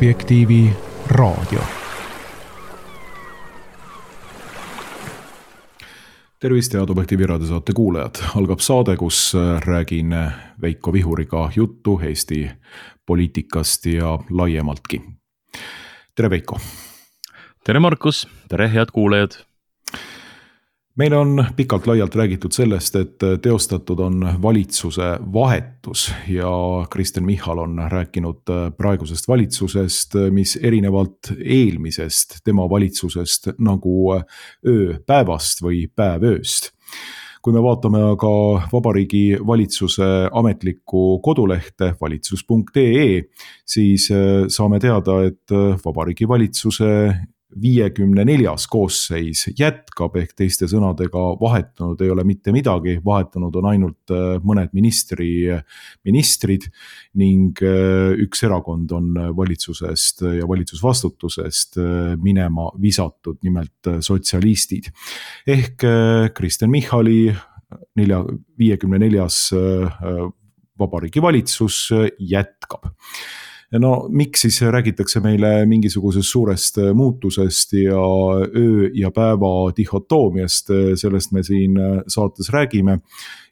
Objektiivi raadio. Tervist, head Objektiivi raadiosaate kuulajad. Algab saade, kus räägin Veiko Vihuriga juttu Eesti poliitikast ja laiemaltki. Tere Veiko! Tere Markus! Tere head kuulajad! Meil on pikalt laialt räägitud sellest, et teostatud on valitsuse vahetus ja Kristen Michal on rääkinud praegusest valitsusest, mis erinevalt eelmisest tema valitsusest nagu öö päevast või päev ööst. Kui me vaatame aga Vabariigi Valitsuse ametlikku kodulehte valitsus.ee, siis saame teada, et Vabariigi Valitsuse 54. koosseis jätkab, ehk teiste sõnadega vahetunud ei ole mitte midagi, vahetunud on ainult mõned ministrid ning üks erakond on valitsusest ja valitsusvastutusest minema visatud, nimelt sotsialistid. Ehk Kristen Michali 54. Vabariigi Valitsus jätkab. No miks siis räägitakse meile mingisugusest suurest muutusest ja öö ja päeva dihotoomiast, sellest me siin saates räägime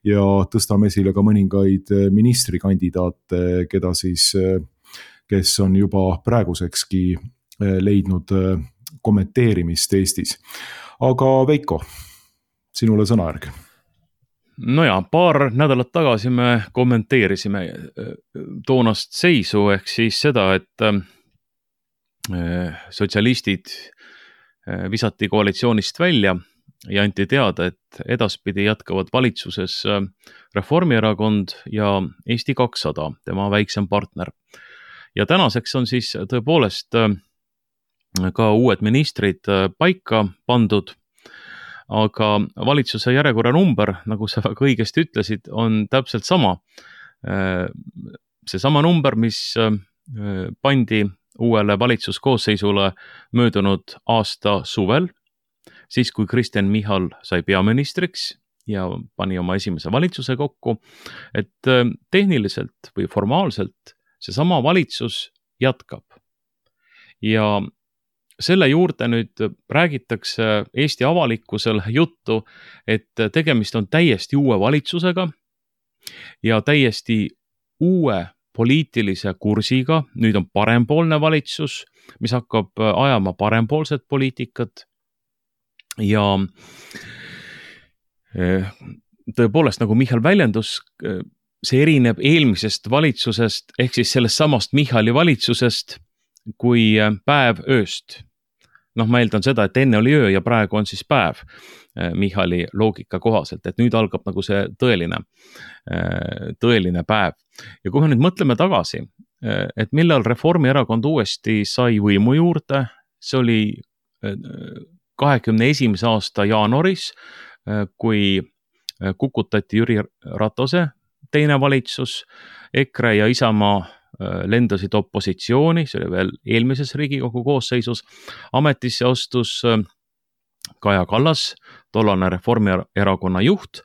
ja tõstame esile ka mõningaid ministrikandidaate, kes on juba praegusekski leidnud kommenteerimist Eestis. Aga Veiko, sinule sõnajärg. No ja, paar nädalat tagasi me kommenteerisime toonast seisu ehk siis seda, et sotsialistid visati koalitsioonist välja ja anti teada, et edaspidi jätkavad valitsuses Reformierakond ja Eesti 200, tema väiksem partner. Ja tänaseks on siis tõepoolest ka uued ministrid paika pandud. Aga valitsuse järjekorra number, nagu sa väga õigesti ütlesid, on täpselt sama. Seesama number, mis pandi uuele valitsuskoosseisule möödunud aasta suvel, siis kui Kristen Michal sai peaministriks ja pani oma esimese valitsuse kokku, et tehniliselt või formaalselt seesama valitsus jätkab. Ja selle juurde nüüd räägitakse Eesti avalikkusel juttu, et tegemist on täiesti uue valitsusega ja täiesti uue poliitilise kursiga. Nüüd on parempoolne valitsus, mis hakkab ajama parempoolset poliitikat ja tõepoolest, nagu Michal väljendus, see erineb eelmisest valitsusest ehk siis sellest samast Michali valitsusest kui päev ööst. Ma eeldan seda, et enne oli öö ja praegu on siis päev Michali loogika kohaselt, et nüüd algab nagu see tõeline päev. Ja kui me nüüd mõtleme tagasi, et millal Reformierakond uuesti sai võimu juurde, see oli 21. aasta jaanuaris, kui kukutati Jüri Ratase teine valitsus, EKRE ja Isamaa lendasid opositsiooni, see oli veel eelmises Riigikogu koosseisus, ametisse astus Kaja Kallas, tollane Reformierakonna juht,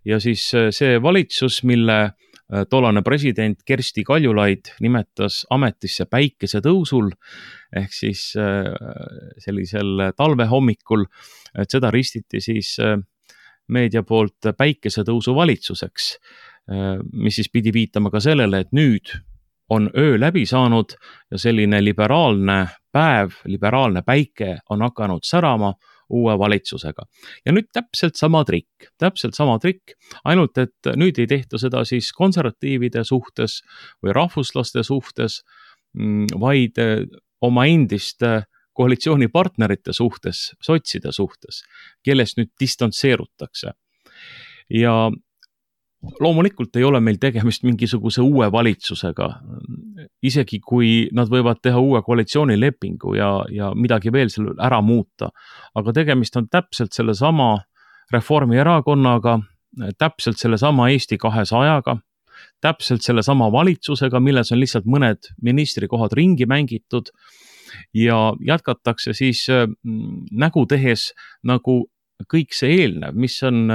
ja siis see valitsus, mille tollane president Kersti Kaljulaid nimetas ametisse päikesetõusul, ehk siis sellisel talvehommikul, et seda ristiti siis meedia poolt päikesetõusu valitsuseks, mis siis pidi viitama ka sellele, et nüüd on öö läbi saanud ja selline liberaalne päev, liberaalne päike on hakanud särama uue valitsusega. Ja nüüd täpselt sama trikk, ainult et nüüd ei tehta seda siis konservatiivide suhtes või rahvuslaste suhtes, vaid oma endiste koalitsioonipartnerite suhtes, sotside suhtes, kellest nüüd distantseerutakse. Ja loomulikult ei ole meil tegemist mingisuguse uue valitsusega, isegi kui nad võivad teha uue koalitsioonilepingu ja midagi veel selle ära muuta. Aga tegemist on täpselt selle sama Reformierakonnaga, täpselt selle sama Eesti 200-ga, täpselt selle sama valitsusega, milles on lihtsalt mõned ministrikohad ringi mängitud ja jätkatakse siis nägu tehes, nagu kõik see eelnev, mis on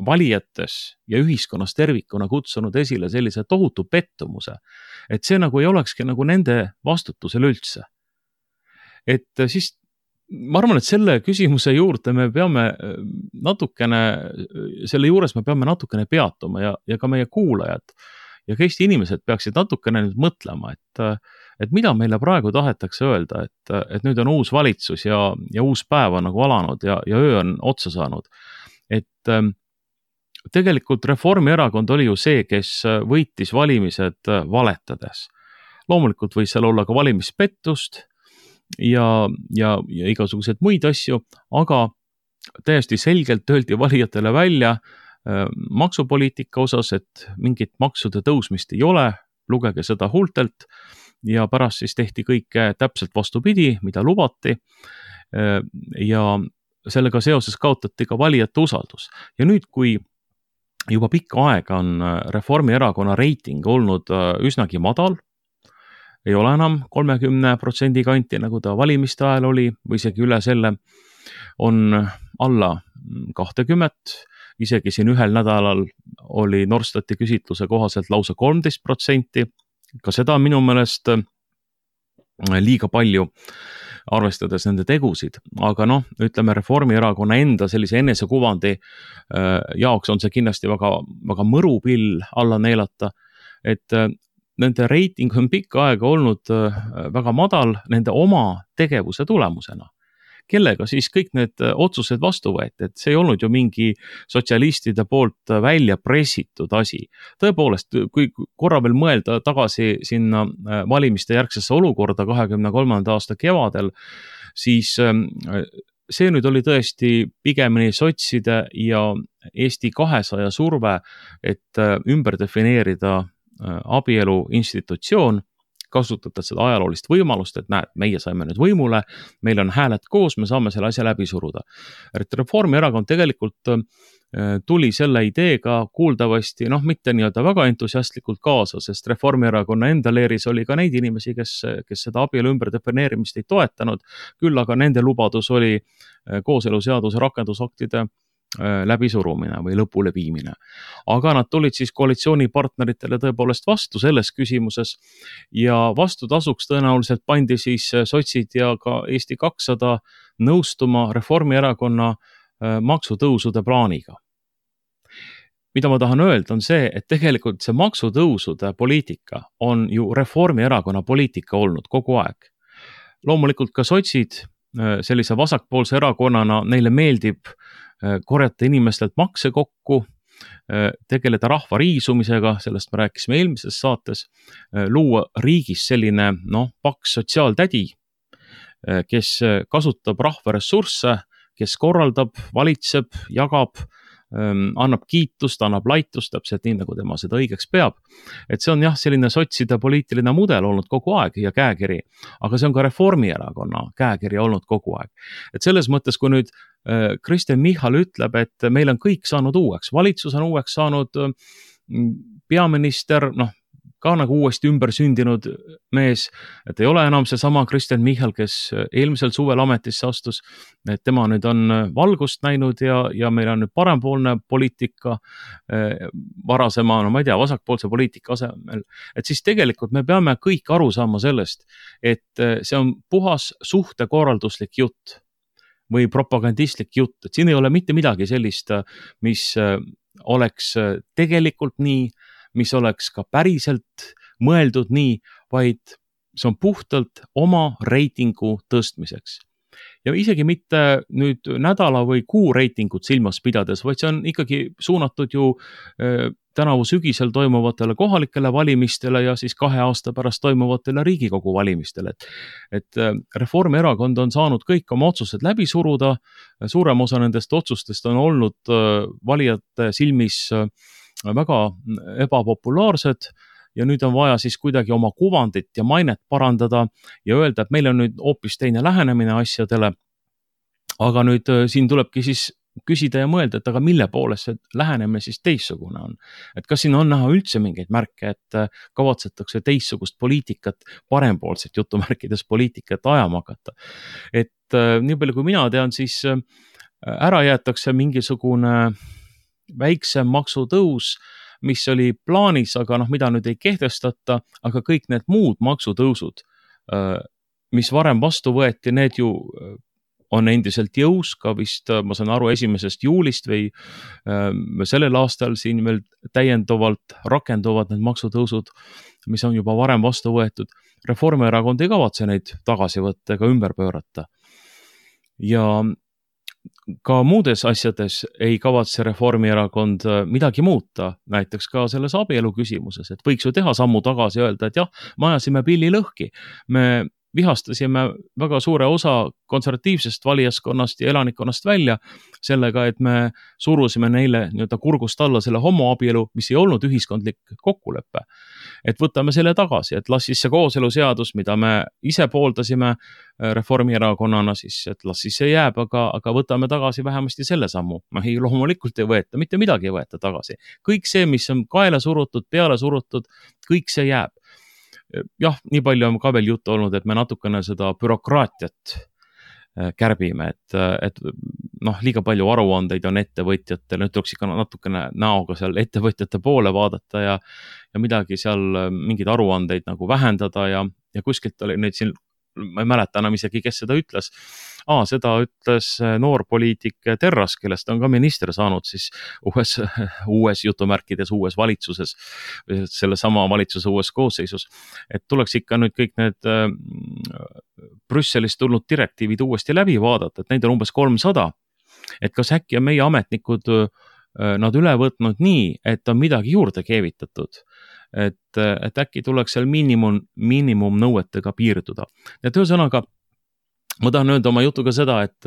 valijates ja ühiskonnas tervikuna kutsunud esile sellise tohutu pettumuse, et see nagu ei olekski nagu nende vastutusel üldse. Et siis ma arvan, et selle küsimuse juurde me peame natukene, selle juures me peame natukene peatuma ja ka meie kuulajad ja ka Eesti inimesed peaksid natukene nüüd mõtlema, et mida meile praegu tahetakse öelda, et nüüd on uus valitsus ja uus päev on nagu alanud ja öö on otsa saanud. Et tegelikult Reformierakond oli ju see, kes võitis valimised valetades. Loomulikult võis seal olla ka valimispettust ja igasuguseid muid asju, aga täiesti selgelt öeldi valijatele välja maksupoliitika osas, et mingit maksude tõusmist ei ole, lugege seda huultelt ja pärast siis tehti kõike täpselt vastupidi, mida lubati ja sellega seoses kaotati ka valijate usaldus. Ja nüüd, kui juba pikka aega on Reformierakonna reiting olnud üsnagi madal, ei ole enam 30% kanti, nagu ta valimiste ajal oli, või isegi üle selle, on alla 20%, isegi siin ühel nädalal oli Norstati küsitluse kohaselt lausa 13%, ka seda minu meelest liiga palju, arvestades nende tegusid, aga ütleme Reformierakonna enda sellise enesekuvandi jaoks on see kindlasti väga, väga mõru pill alla neelata, et nende reiting on pikka aega olnud väga madal nende oma tegevuse tulemusena. Kellega siis kõik need otsused vastu võeti, et see ei olnud ju mingi sotsialistide poolt välja pressitud asi. Tõepoolest, kui korra veel mõelda tagasi sinna valimiste järgsesse olukorda 23. aasta kevadel, siis see nüüd oli tõesti pigemini sotside ja Eesti 200 surve, et ümber defineerida abielu institutsioon, kasutades seda ajaloolist võimalust, et näed, meie saime nüüd võimule, meil on hääled koos, me saame selle asja läbi suruda. Reformierakond tegelikult tuli selle ideega kuuldavasti, mitte nii-öelda väga entusiastlikult kaasa, sest Reformierakonna enda leeris oli ka neid inimesi, kes seda abielu ümberdefineerimist ei toetanud, küll aga nende lubadus oli kooseluseaduse rakendusaktide läbisurumine või lõpule viimine. Aga nad tulid siis koalitsioonipartneritele tõepoolest vastu selles küsimuses ja vastutasuks tõenäoliselt pandi siis sotsid ja ka Eesti 200 nõustuma Reformierakonna maksutõusude plaaniga. Mida ma tahan öelda on see, et tegelikult see maksutõusude poliitika on ju Reformierakonna poliitika olnud kogu aeg. Loomulikult ka sotsid sellise vasakpoolse erakonnana, neile meeldib korjata inimestelt makse kokku, tegeleda rahva riisumisega, sellest me rääkisime eelmises saates, luua riigis selline paks sotsiaaltädi, kes kasutab rahva ressursse, kes korraldab, valitseb, jagab, annab kiitust, annab laitust, täpselt nii, nagu tema seda õigeks peab. Et see on selline sotside poliitiline mudel olnud kogu aeg ja käekiri, aga see on ka Reformierakonna käekiri olnud kogu aeg. Et selles mõttes, kui nüüd Kristen Michal ütleb, et meil on kõik saanud uueks, valitsus on uueks saanud, peaminister, ka nagu uuesti ümber sündinud mees, et ei ole enam see sama Kristen Michal, kes eelmisel suvel ametisse astus, et tema nüüd on valgust näinud ja meil on nüüd parempoolne poliitika varasema, ma ei tea, vasakpoolse poliitika asemel, et siis tegelikult me peame kõik aru saama sellest, et see on puhas suhtekorralduslik jutt või propagandistlik jutt, et siin ei ole mitte midagi sellist, mis oleks tegelikult nii, mis oleks ka päriselt mõeldud nii, vaid see on puhtalt oma reitingu tõstmiseks. Ja isegi mitte nüüd nädala või kuu reitingut silmas pidades, vaid see on ikkagi suunatud ju tänavu sügisel toimuvatele kohalikele valimistele ja siis 2 aasta pärast toimuvatele Riigikogu valimistele. Et Reformierakond on saanud kõik oma otsused läbi suruda, suurem osa nendest otsustest on olnud valijate silmis väga ebapopulaarsed ja nüüd on vaja siis kuidagi oma kuvandit ja mainet parandada ja öelda, et meil on nüüd hoopis teine lähenemine asjadele. Aga nüüd siin tulebki siis küsida ja mõelda, et aga mille poolest see lähenemine siis teistsugune on. Et kas siin on näha üldse mingeid märke, et kavatsetakse teistsugust poliitikat, parempoolset jutumärkides poliitikat ajama hakata. Et nii palju kui mina tean, siis ära jäetakse mingisugune väiksem maksutõus, mis oli plaanis, aga mida nüüd ei kehtestata, aga kõik need muud maksutõusud, mis varem vastu võeti, need ju on endiselt jõus ka vist, ma saan aru, 1. juulist või sellel aastal siin veel täiendavalt rakenduvad need maksutõusud, mis on juba varem vastu võetud. Reformierakond ei kavatse neid tagasi võtta ega ümber pöörata. Ja ka muudes asjades ei kavatse Reformierakond midagi muuta, näiteks ka selles abielu küsimuses, et võiks ju teha sammu tagasi ja öelda, et jah, me ajasime pilli lõhki, me vihastasime väga suure osa konservatiivsest valijaskonnast ja elanikkonnast välja sellega, et me surusime neile kurgust alla selle homoabielu, mis ei olnud ühiskondlik kokkulepe. Et võtame selle tagasi, et las siis see kooseluseadus, mida me ise pooldasime Reformierakonnana, siis et las siis see jääb, aga võtame tagasi vähemasti selle sammu. Ei, loomulikult ei võeta, mitte midagi ei võeta tagasi. Kõik see, mis on kaela surutud, peale surutud, kõik see jääb. Jah, nii palju on ka veel juttu olnud, et me natukene seda bürokraatiat kärbime, et liiga palju aruandeid on ettevõtjatel, nüüd tuleks ikka natukene näoga seal ettevõtjate poole vaadata ja midagi seal, mingeid aruandeid nagu vähendada ja kuskilt oli neid siin, ma ei mäleta enam isegi, kes seda ütles. Seda ütles noor poliitik Terras, kellest on ka minister saanud siis uues jutumärkides uues valitsuses, selle sama valitsuse uues koosseisus. Et tuleks ikka nüüd kõik need Brüsselist tulnud direktiivid uuesti läbi vaadata, et neid on umbes 300. Et kas äkki on meie ametnikud nad üle võtnud nii, et on midagi juurde keevitatud. Et äkki tuleks seal miinimumnõuetega piirduda. Ja ühesõnaga, ma tahan öelda oma jutuga seda, et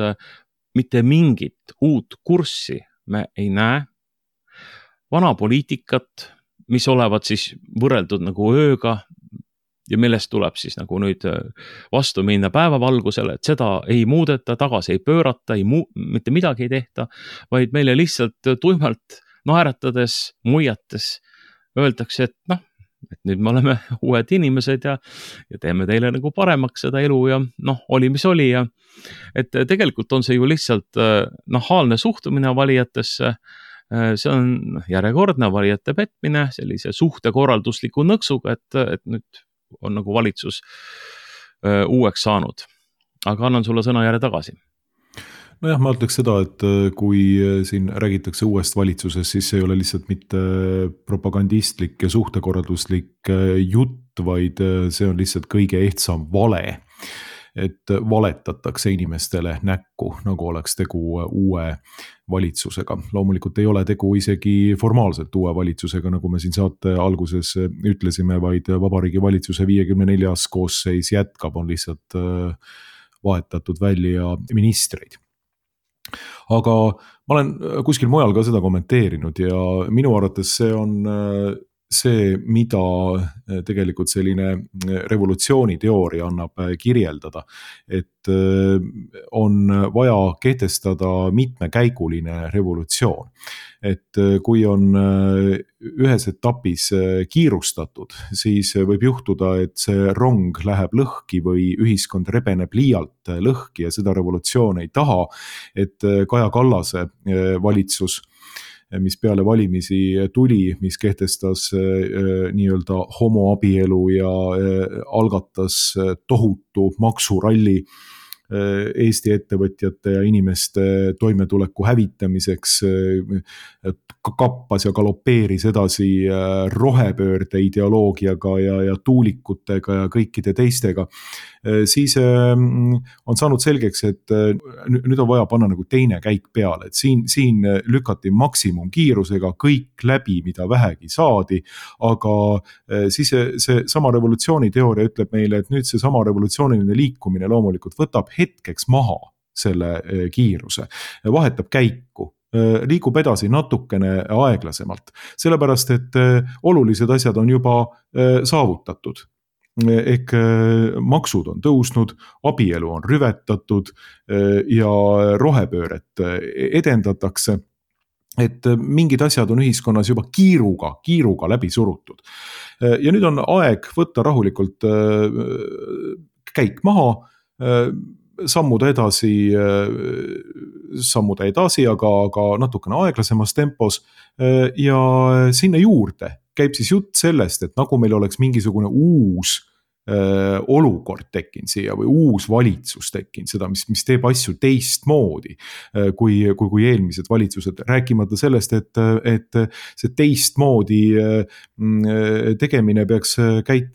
mitte mingit uut kurssi me ei näe. Vana poliitikat, mis olevat siis võrreldud nagu ööga ja millest tuleb siis nagu nüüd vastu minna päevavalgusele, et seda ei muudeta, tagasi ei pöörata, mitte midagi ei tehta, vaid meile lihtsalt tuimalt naeratades, muiates öeldakse, et et nüüd me oleme uued inimesed ja teeme teile nagu paremaks seda elu ja oli mis oli ja et tegelikult on see ju lihtsalt nahaalne suhtumine valijatesse, see on järjekordne valijate petmine sellise suhtekorraldusliku nõksuga, et nüüd on nagu valitsus uueks saanud. Aga annan sulle sõna järje tagasi. Nojah, ma ütleks seda, et kui siin räägitakse uuest valitsusest, siis see ei ole lihtsalt mitte propagandistlik ja suhtekorralduslik jutt, vaid see on lihtsalt kõige ehtsam vale. Et valetatakse inimestele näkku, nagu oleks tegu uue valitsusega. Loomulikult ei ole tegu isegi formaalselt uue valitsusega, nagu me siin saate alguses ütlesime, vaid Vabariigi Valitsuse 54. koosseis jätkab, on lihtsalt vahetatud välja ministreid. Aga ma olen kuskil mujal ka seda kommenteerinud ja minu arvates see on see, mida tegelikult selline revolutsiooniteooria annab kirjeldada, et on vaja kehtestada mitmekäiguline revolutsioon. Et kui on ühes etapis kiirustatud, siis võib juhtuda, et see rong läheb lõhki või ühiskond rebeneb liialt lõhki ja seda revolutsioon ei taha, et Kaja Kallase valitsus, mis peale valimisi tuli, mis kehtestas nii-öelda homoabielu ja algatas tohutu maksuralli Eesti ettevõtjate ja inimeste toimetuleku hävitamiseks, kappas ja galopeeris edasi rohepöörde ideoloogiaga ja tuulikutega ja kõikide teistega, siis on saanud selgeks, et nüüd on vaja panna nagu teine käik peale, et siin lükati maksimumkiirusega kõik läbi, mida vähegi saadi, aga siis see sama revolutsiooniteooria ütleb meile, et nüüd see sama revolutsiooniline liikumine loomulikult võtab hetkeks maha selle kiiruse, vahetab käiku, liigub edasi natukene aeglasemalt, sellepärast et olulised asjad on juba saavutatud. Ehk maksud on tõusnud, abielu on rüvetatud ja rohepööret edendatakse, et mingid asjad on ühiskonnas juba kiiruga läbi surutud. Ja nüüd on aeg võtta rahulikult käik maha, sammuda edasi, aga natukene aeglasemas tempos. Ja sinna juurde käib siis jutt sellest, et nagu meil oleks mingisugune uus olukord tekkinud siia või uus valitsus tekkinud, seda, mis teeb asju teistmoodi kui eelmised valitsused, rääkimata sellest, et see teistmoodi tegemine peaks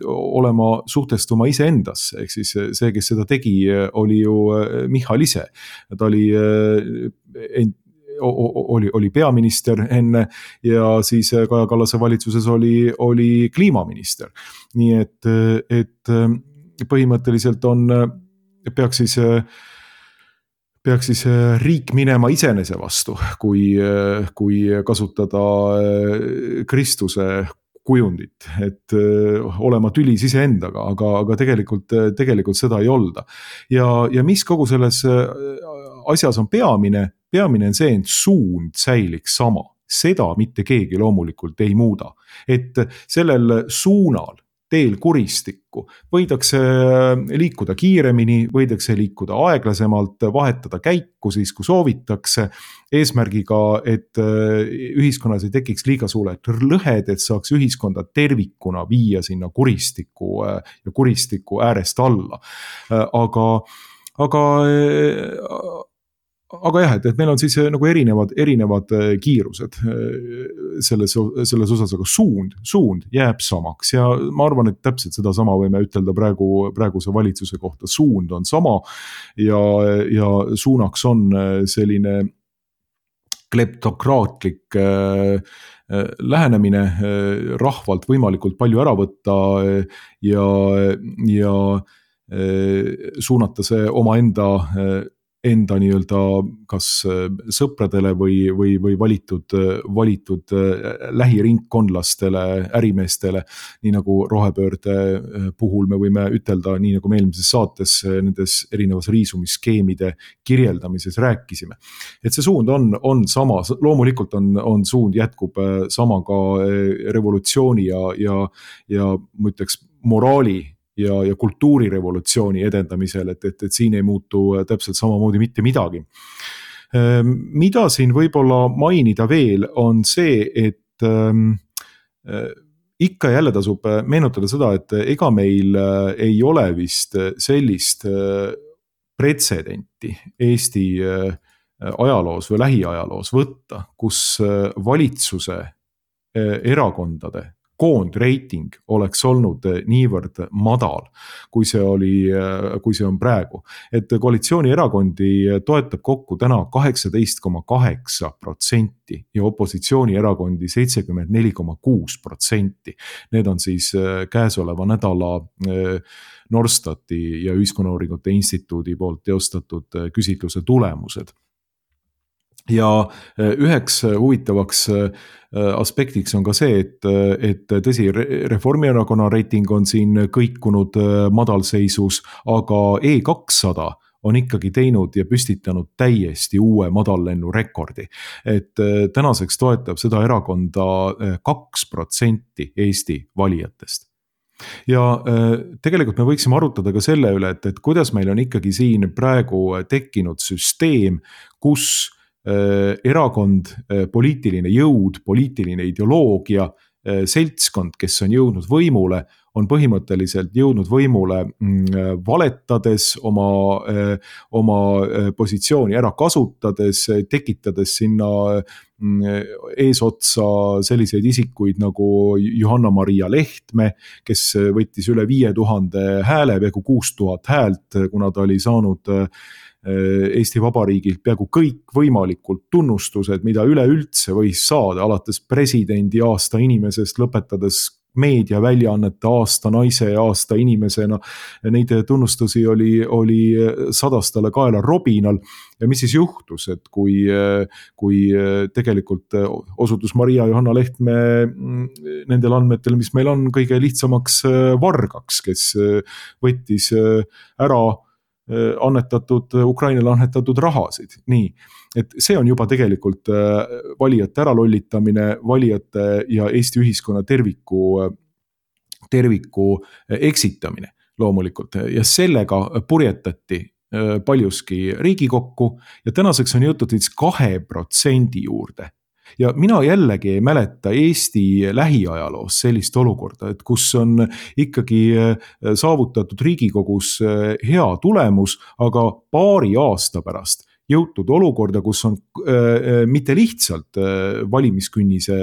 olema suhtestuma iseendasse, ehk siis see, kes seda tegi, oli ju Michal ise, ta oli peaminister enne ja siis Kaja Kallase valitsuses oli kliimaminister. Nii et põhimõtteliselt peaks siis riik minema iseenese vastu, kui kasutada Kristuse kujundit, et olema tülis iseendaga, aga tegelikult seda ei olda. Ja mis kogu selles asjas on peamine on see, et suund säiliks sama. Seda mitte keegi loomulikult ei muuda. Et sellel suunal, teel kuristikku, võidakse liikuda kiiremini, võidakse liikuda aeglasemalt, vahetada käiku siis, kui soovitakse, eesmärgiga, et ühiskonnas ei tekiks liiga suured lõhed, et saaks ühiskonda tervikuna viia sinna kuristiku äärest alla. Aga jah, et meil on siis nagu erinevad kiirused selles osas, aga suund jääb samaks ja ma arvan, et täpselt seda sama võime ütelda praeguse valitsuse kohta. Suund on sama ja suunaks on selline kleptokraatlik lähenemine, rahvalt võimalikult palju ära võtta ja suunata see omaenda nii-öelda kas sõpradele või valitud lähiringkondlastele, ärimeestele, nii nagu rohepöörde puhul me võime ütelda, nii nagu me eelmises saates nendes erinevas riisumisskeemide kirjeldamises rääkisime. Et see suund on sama, loomulikult on suund jätkub sama ka revolutsiooni ja ma ütleks moraali ja kultuurirevolutsiooni edendamisel, et siin ei muutu täpselt samamoodi mitte midagi. Mida siin võib-olla mainida veel on see, et ikka jälle tasub meenutada seda, et ega meil ei ole vist sellist pretsedenti Eesti ajaloos või lähiajaloos võtta, kus valitsuse erakondade koondreiting oleks olnud niivõrd madal, kui see on praegu. Et koalitsioonierakondi toetab kokku täna 18,8% ja opositsioonierakondi 74,6%. Need on siis käesoleva nädala Norstati ja Ühiskonnauuringute Instituudi poolt teostatud küsitluse tulemused. Ja üheks huvitavaks aspektiks on ka see, et tõsi, Reformierakonna reiting on siin kõikunud madalseisus, aga E200 on ikkagi teinud ja püstitanud täiesti uue madallennu rekordi. Et tänaseks toetab seda erakonda 2% Eesti valijatest. Ja tegelikult me võiksime arutada ka selle üle, et kuidas meil on ikkagi siin praegu tekkinud süsteem, kus erakond, poliitiline jõud, poliitiline ideoloogia, seltskond, kes on jõudnud võimule, on põhimõtteliselt jõudnud võimule valetades, oma positsiooni ära kasutades, tekitades sinna eesotsa selliseid isikuid nagu Johanna-Maria Lehtme, kes võttis üle 5000 hääle, peaaegu 6000 häält, kuna ta oli saanud Eesti Vabariigilt peaaegu kõik võimalikult tunnustused, mida üleüldse võis saada, alates presidendi aasta inimesest, lõpetades meediaväljaannete aasta naise ja aasta inimesena. Neid tunnustusi oli 100 kaela robinal. Ja mis siis juhtus, et kui tegelikult osutus Maria Johanna Lehtme nendel andmetel, mis meil on, kõige lihtsamaks vargaks, kes võttis ära Ukrainale annetatud rahasid. Nii, et see on juba tegelikult valijate äralollitamine, valijate ja Eesti ühiskonna terviku eksitamine loomulikult. Ja sellega purjetati paljuski Riigikokku ja tänaseks on jõutud 2% juurde. Ja mina jällegi ei mäleta Eesti lähiajaloos sellist olukorda, et kus on ikkagi saavutatud Riigikogus hea tulemus, aga paari aasta pärast jõutud olukorda, kus on mitte lihtsalt valimiskünnise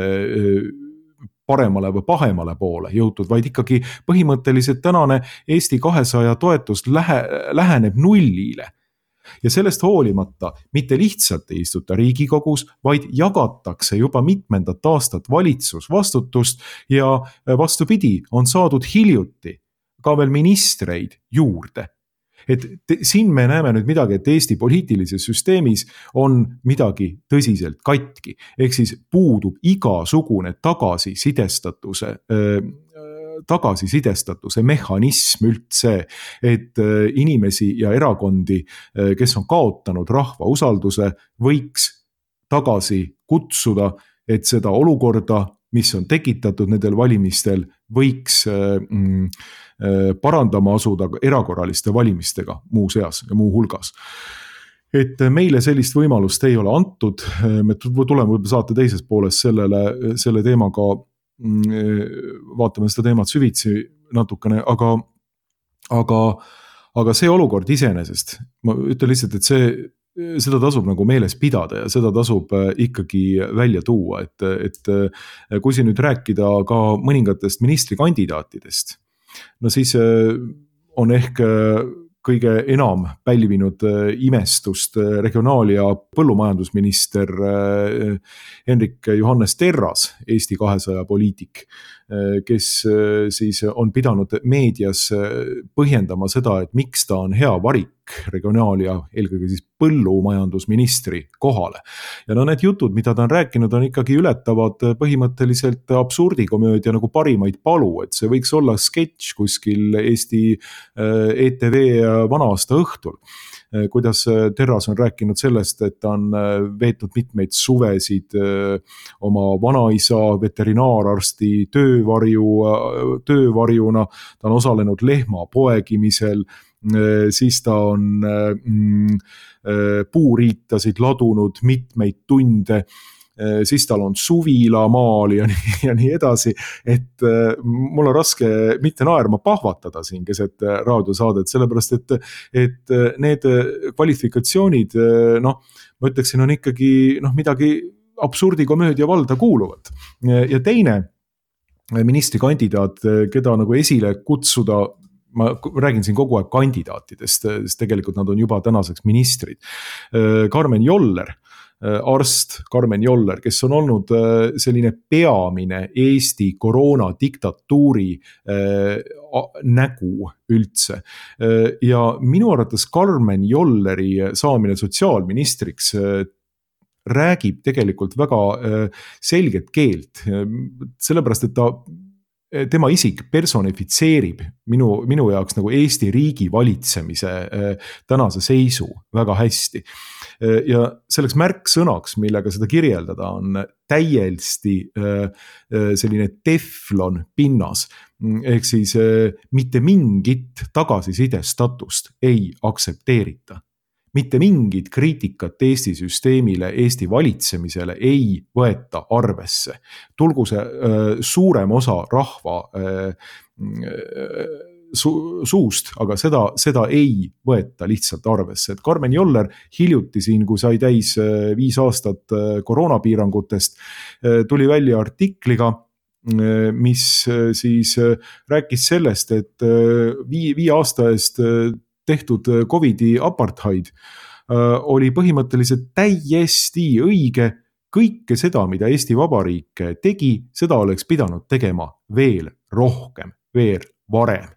paremale või pahemale poole jõutud, vaid ikkagi põhimõtteliselt tänane Eesti 200 toetus läheneb nullile. Ja sellest hoolimata mitte lihtsalt ei istuta Riigikogus, vaid jagatakse juba mitmendat aastat valitsusvastutust ja vastupidi, on saadud hiljuti ka veel ministreid juurde. Et siin me näeme nüüd midagi, et Eesti poliitilises süsteemis on midagi tõsiselt katki. Ehk siis puudub igasugune tagasisidestatuse mehhanism üldse, et inimesi ja erakondi, kes on kaotanud rahva usalduse, võiks tagasi kutsuda, et seda olukorda, mis on tekitatud nendel valimistel, võiks parandama asuda erakorraliste valimistega muu seas ja muu hulgas. Et meile sellist võimalust ei ole antud, me tuleme võib-olla saate teises pooles selle teemaga, vaatame seda teemat süvitsi natukene, aga see olukord iseenesest, ma ütlen lihtsalt, et seda tasub nagu meeles pidada ja seda tasub ikkagi välja tuua, et kui siin nüüd rääkida ka mõningatest ministrikandidaatidest, no siis on ehk kõige enam pälvinud imestust regionaal- ja põllumajandusminister Hendrik Johannes Terras, Eesti 200 poliitik, kes siis on pidanud meedias põhjendama seda, et miks ta on hea varik regionaal- ja eelkõige siis põllumajandusministri kohale. Ja no need jutud, mida ta on rääkinud, on ikkagi ületavad põhimõtteliselt absurdikomöödia nagu parimaid palu, et see võiks olla sketš kuskil Eesti ETV vana-aasta õhtul. Kuidas Terras on rääkinud sellest, et ta on veetnud mitmeid suvesid oma vanaisa veterinaararsti töövarjuna, ta on osalenud lehma poegimisel, siis ta on puuriitasid ladunud mitmeid tunde, siis tal on suvilamaal ja nii edasi, et mul on raske mitte naerma pahvatada siin keset raadiosaadet, sellepärast et need kvalifikatsioonid, ma ütleksin, on ikkagi midagi absurdikomöödia valda kuuluvat. Ja teine ministrikandidaat, keda nagu esile kutsuda, ma räägin siin kogu aeg kandidaatidest, sest tegelikult nad on juba tänaseks ministrid. Karmen Joller, arst Karmen Joller, kes on olnud selline peamine Eesti koroonadiktatuuri nägu üldse. Ja minu arvates Karmen Jolleri saamine sotsiaalministriks räägib tegelikult väga selget keelt, sellepärast et tema isik personifitseerib minu jaoks nagu Eesti riigi valitsemise tänase seisu väga hästi. Ja selleks märksõnaks, millega seda kirjeldada, on täiesti selline teflon pinnas, ehk siis mitte mingit tagasisidestatust ei aksepteerita. Mitte mingit kriitikat Eesti süsteemile, Eesti valitsemisele ei võeta arvesse. Tulgu see suurem osa rahva suust, aga seda ei võeta lihtsalt arvesse. Et Karmen Joller hiljuti siin, kui sai täis 5 aastat koroonapiirangutest, tuli välja artikliga, mis siis rääkis sellest, et 5 aasta eest tehtud Covidi apartheid oli põhimõtteliselt täiesti õige. Kõike seda, mida Eesti Vabariik tegi, seda oleks pidanud tegema veel rohkem, veel varem.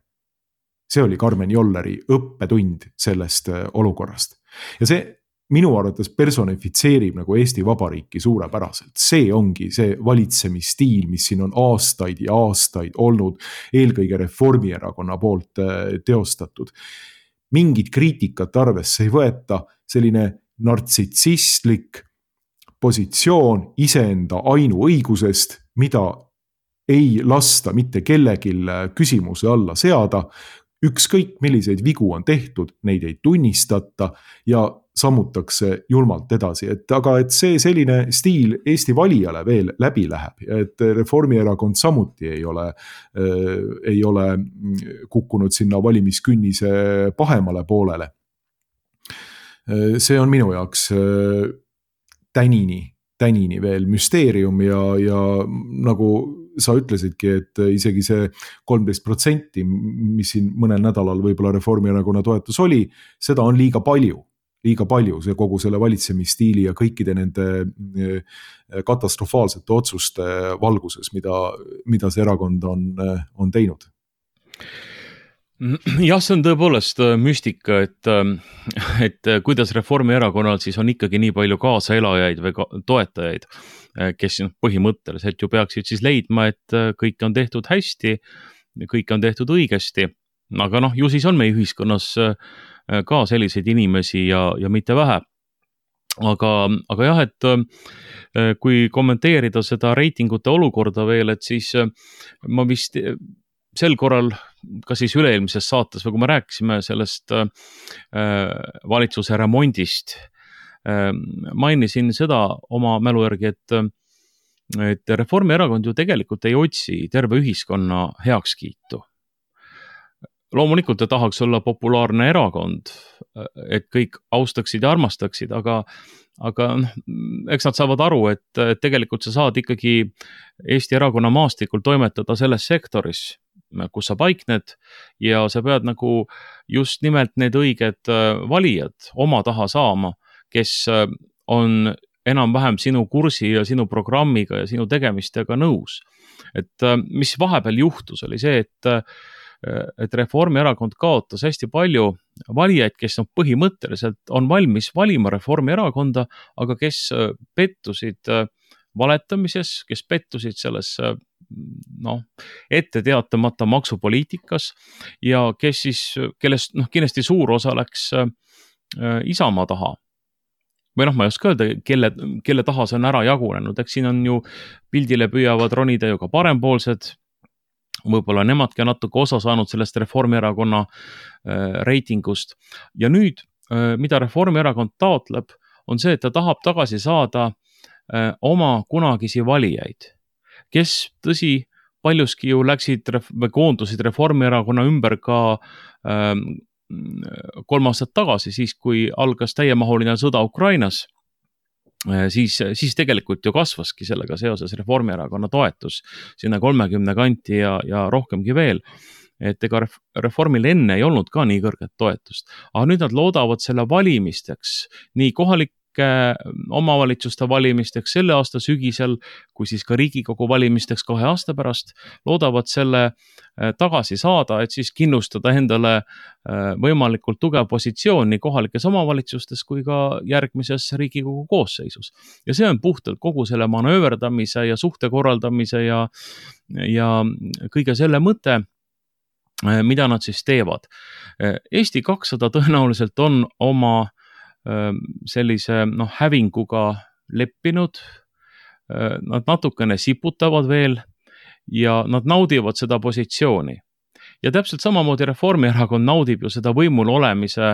See oli Karmen Jolleri õppetund sellest olukorrast. Ja see minu arvates personifitseerib nagu Eesti Vabariiki suurepäraselt. See ongi see valitsemisstiil, mis siin on aastaid ja aastaid olnud eelkõige Reformierakonna poolt teostatud. Mingit kriitikat arvesse ei võeta, selline nartsissistlik positsioon iseenda ainuõigusest, mida ei lasta mitte kellelgi küsimuse alla seada, ükskõik milliseid vigu on tehtud, neid ei tunnistata ja sammutakse julmalt edasi, aga see selline stiil Eesti valijale veel läbi läheb ja et Reformierakond samuti ei ole kukkunud sinna valimiskünnise pahemale poolele. See on minu jaoks tänini veel müsteerium ja nagu sa ütlesidki, et isegi see 13%, mis siin mõnel nädalal võib-olla Reformierakonna toetus oli, seda on liiga palju, see kogu selle valitsemisstiili ja kõikide nende katastrofaalsete otsuste valguses, mida see erakond on teinud. Jah, see on tõepoolest müstika, et kuidas Reformierakonnal siis on ikkagi nii palju kaasaelajaid või toetajaid, kes põhimõtteliselt ju peaksid siis leidma, et kõik on tehtud hästi, kõik on tehtud õigesti, aga ju siis on meie ühiskonnas ka selliseid inimesi ja mitte vähe. Aga jah, et kui kommenteerida seda reitingute olukorda veel, et siis ma vist sel korral, ka siis üle-eelmises saates, või kui me rääkisime sellest valitsuse remondist, mainisin seda oma mälu järgi, et Reformierakond ju tegelikult ei otsi terve ühiskonna heakskiitu. Loomulikult ta tahaks olla populaarne erakond, et kõik austaksid ja armastaksid, aga eks nad saavad aru, et tegelikult sa saad ikkagi Eesti erakonna maastikul toimetada selles sektoris, kus sa paikned ja sa pead nagu just nimelt need õiged valijad oma taha saama, kes on enam-vähem sinu kursi ja sinu programmiga ja sinu tegemistega nõus. Et mis vahepeal juhtus, oli see, et Reformierakond kaotas hästi palju valijaid, kes põhimõtteliselt on valmis valima Reformierakonda, aga kes pettusid valetamises, kes pettusid selles ette teatamata maksupoliitikas ja kellest kindlasti suur osa läks Isamaa taha. Või ma ei oska öelda, kelle taha see on ära jagunenud, eks siin on ju pildile püüavad ronida ju ka parempoolsed, võib-olla nemadki on natuke osa saanud sellest Reformierakonna reitingust. Ja nüüd, mida Reformierakond taotleb, on see, et ta tahab tagasi saada oma kunagisi valijaid, kes tõsi paljuski ju läksid või koondusid Reformierakonna ümber ka 3 aastat tagasi, siis kui algas täiemahuline sõda Ukrainas, siis tegelikult ju kasvaski sellega seoses Reformierakonna toetus sinna 30 kanti ja rohkemgi veel, et ega Reformil enne ei olnud ka nii kõrget toetust, aga nüüd nad loodavad selle valimisteks, nii kohalike omavalitsuste valimisteks selle aasta sügisel, kui siis ka Riigikogu valimisteks 2 aasta pärast, loodavad selle tagasi saada, et siis kindlustada endale võimalikult tugev positsioon nii kohalikes omavalitsustes kui ka järgmises Riigikogu koosseisus. Ja see on puhtalt kogu selle manööverdamise ja suhte korraldamise ja kõige selle mõte, mida nad siis teevad. Eesti 200 tõenäoliselt on oma sellise hävinguga leppinud, nad natukene siputavad veel ja nad naudivad seda positsiooni. Ja täpselt samamoodi Reformierakond naudib ju seda võimul olemise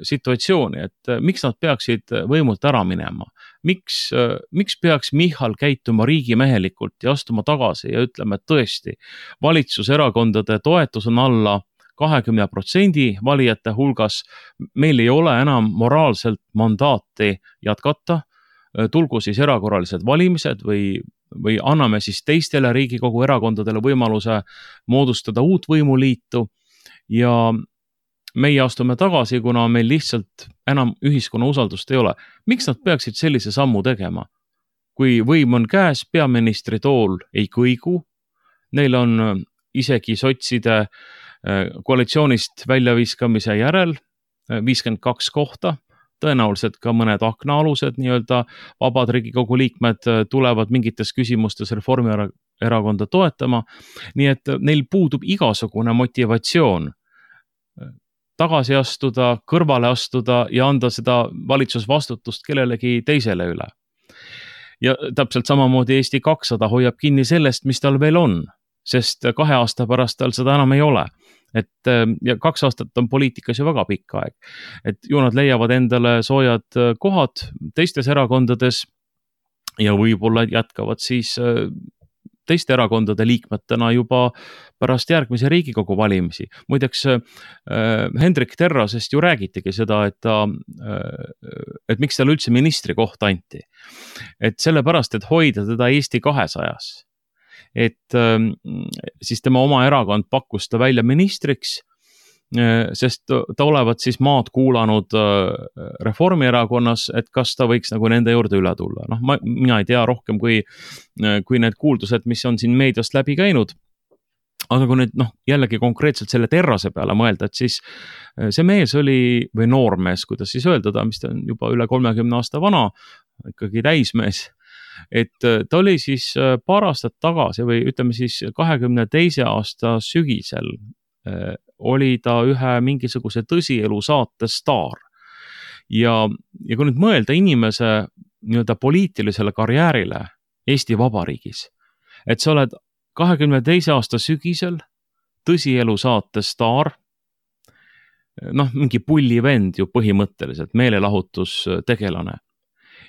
situatsiooni, et miks nad peaksid võimult ära minema? Miks peaks Michal käituma riigimehelikult ja astuma tagasi ja ütlema, et tõesti, valitsuserakondade toetus on alla 20% valijate hulgas, meil ei ole enam moraalselt mandaati jätkata, tulgu siis erakorralised valimised või anname siis teistele Riigikogu erakondadele võimaluse moodustada uut võimuliitu ja meie astume tagasi, kuna meil lihtsalt enam ühiskonna usaldust ei ole. Miks nad peaksid sellise sammu tegema? Kui võim on käes, peaministri tool ei kõigu, neil on isegi sotside koalitsioonist väljaviskamise järel 52 kohta, tõenäoliselt ka mõned aknaalused nii-öelda vabad Riigikogu liikmed tulevad mingites küsimustes Reformierakonda toetama, nii et neil puudub igasugune motivatsioon tagasi astuda, kõrvale astuda ja anda seda valitsusvastutust kellelegi teisele üle. Ja täpselt samamoodi Eesti 200 hoiab kinni sellest, mis tal veel on. sest 2 aasta pärast tal seda enam ei ole. Et ja 2 aastat on poliitikas ju väga pikk aeg. Et ju nad leiavad endale soojad kohad teistes erakondades ja võib-olla jätkavad siis teiste erakondade liikmetena juba pärast järgmise Riigikogu valimisi. Muideks Hendrik Terrasest ju räägitigi seda, et miks talle üldse ministri koht anti. Et sellepärast, et hoida teda Eesti 200-s. Et siis tema oma erakond pakkus ta välja ministriks, sest ta olevat siis maad kuulanud Reformierakonnas, et kas ta võiks nagu nende juurde üle tulla. Noh, mina ei tea rohkem kui need kuuldused, mis on siin meediast läbi käinud. Aga kui nüüd jällegi konkreetselt selle Terrase peale mõelda, et siis see mees oli, või noormees, kuidas siis öelda, mis ta on juba üle 30 aasta vana, ikkagi täismees, et ta oli siis paar aastat tagasi või ütleme siis 22. aasta sügisel oli ta ühe mingisuguse tõsielu saate staar. Ja kui nüüd mõelda inimese nii-öelda poliitilisele karjäärile Eesti Vabariigis, et sa oled 22. aasta sügisel tõsielu saate staar, mingi pullivend ju põhimõtteliselt, meelelahutustegelane.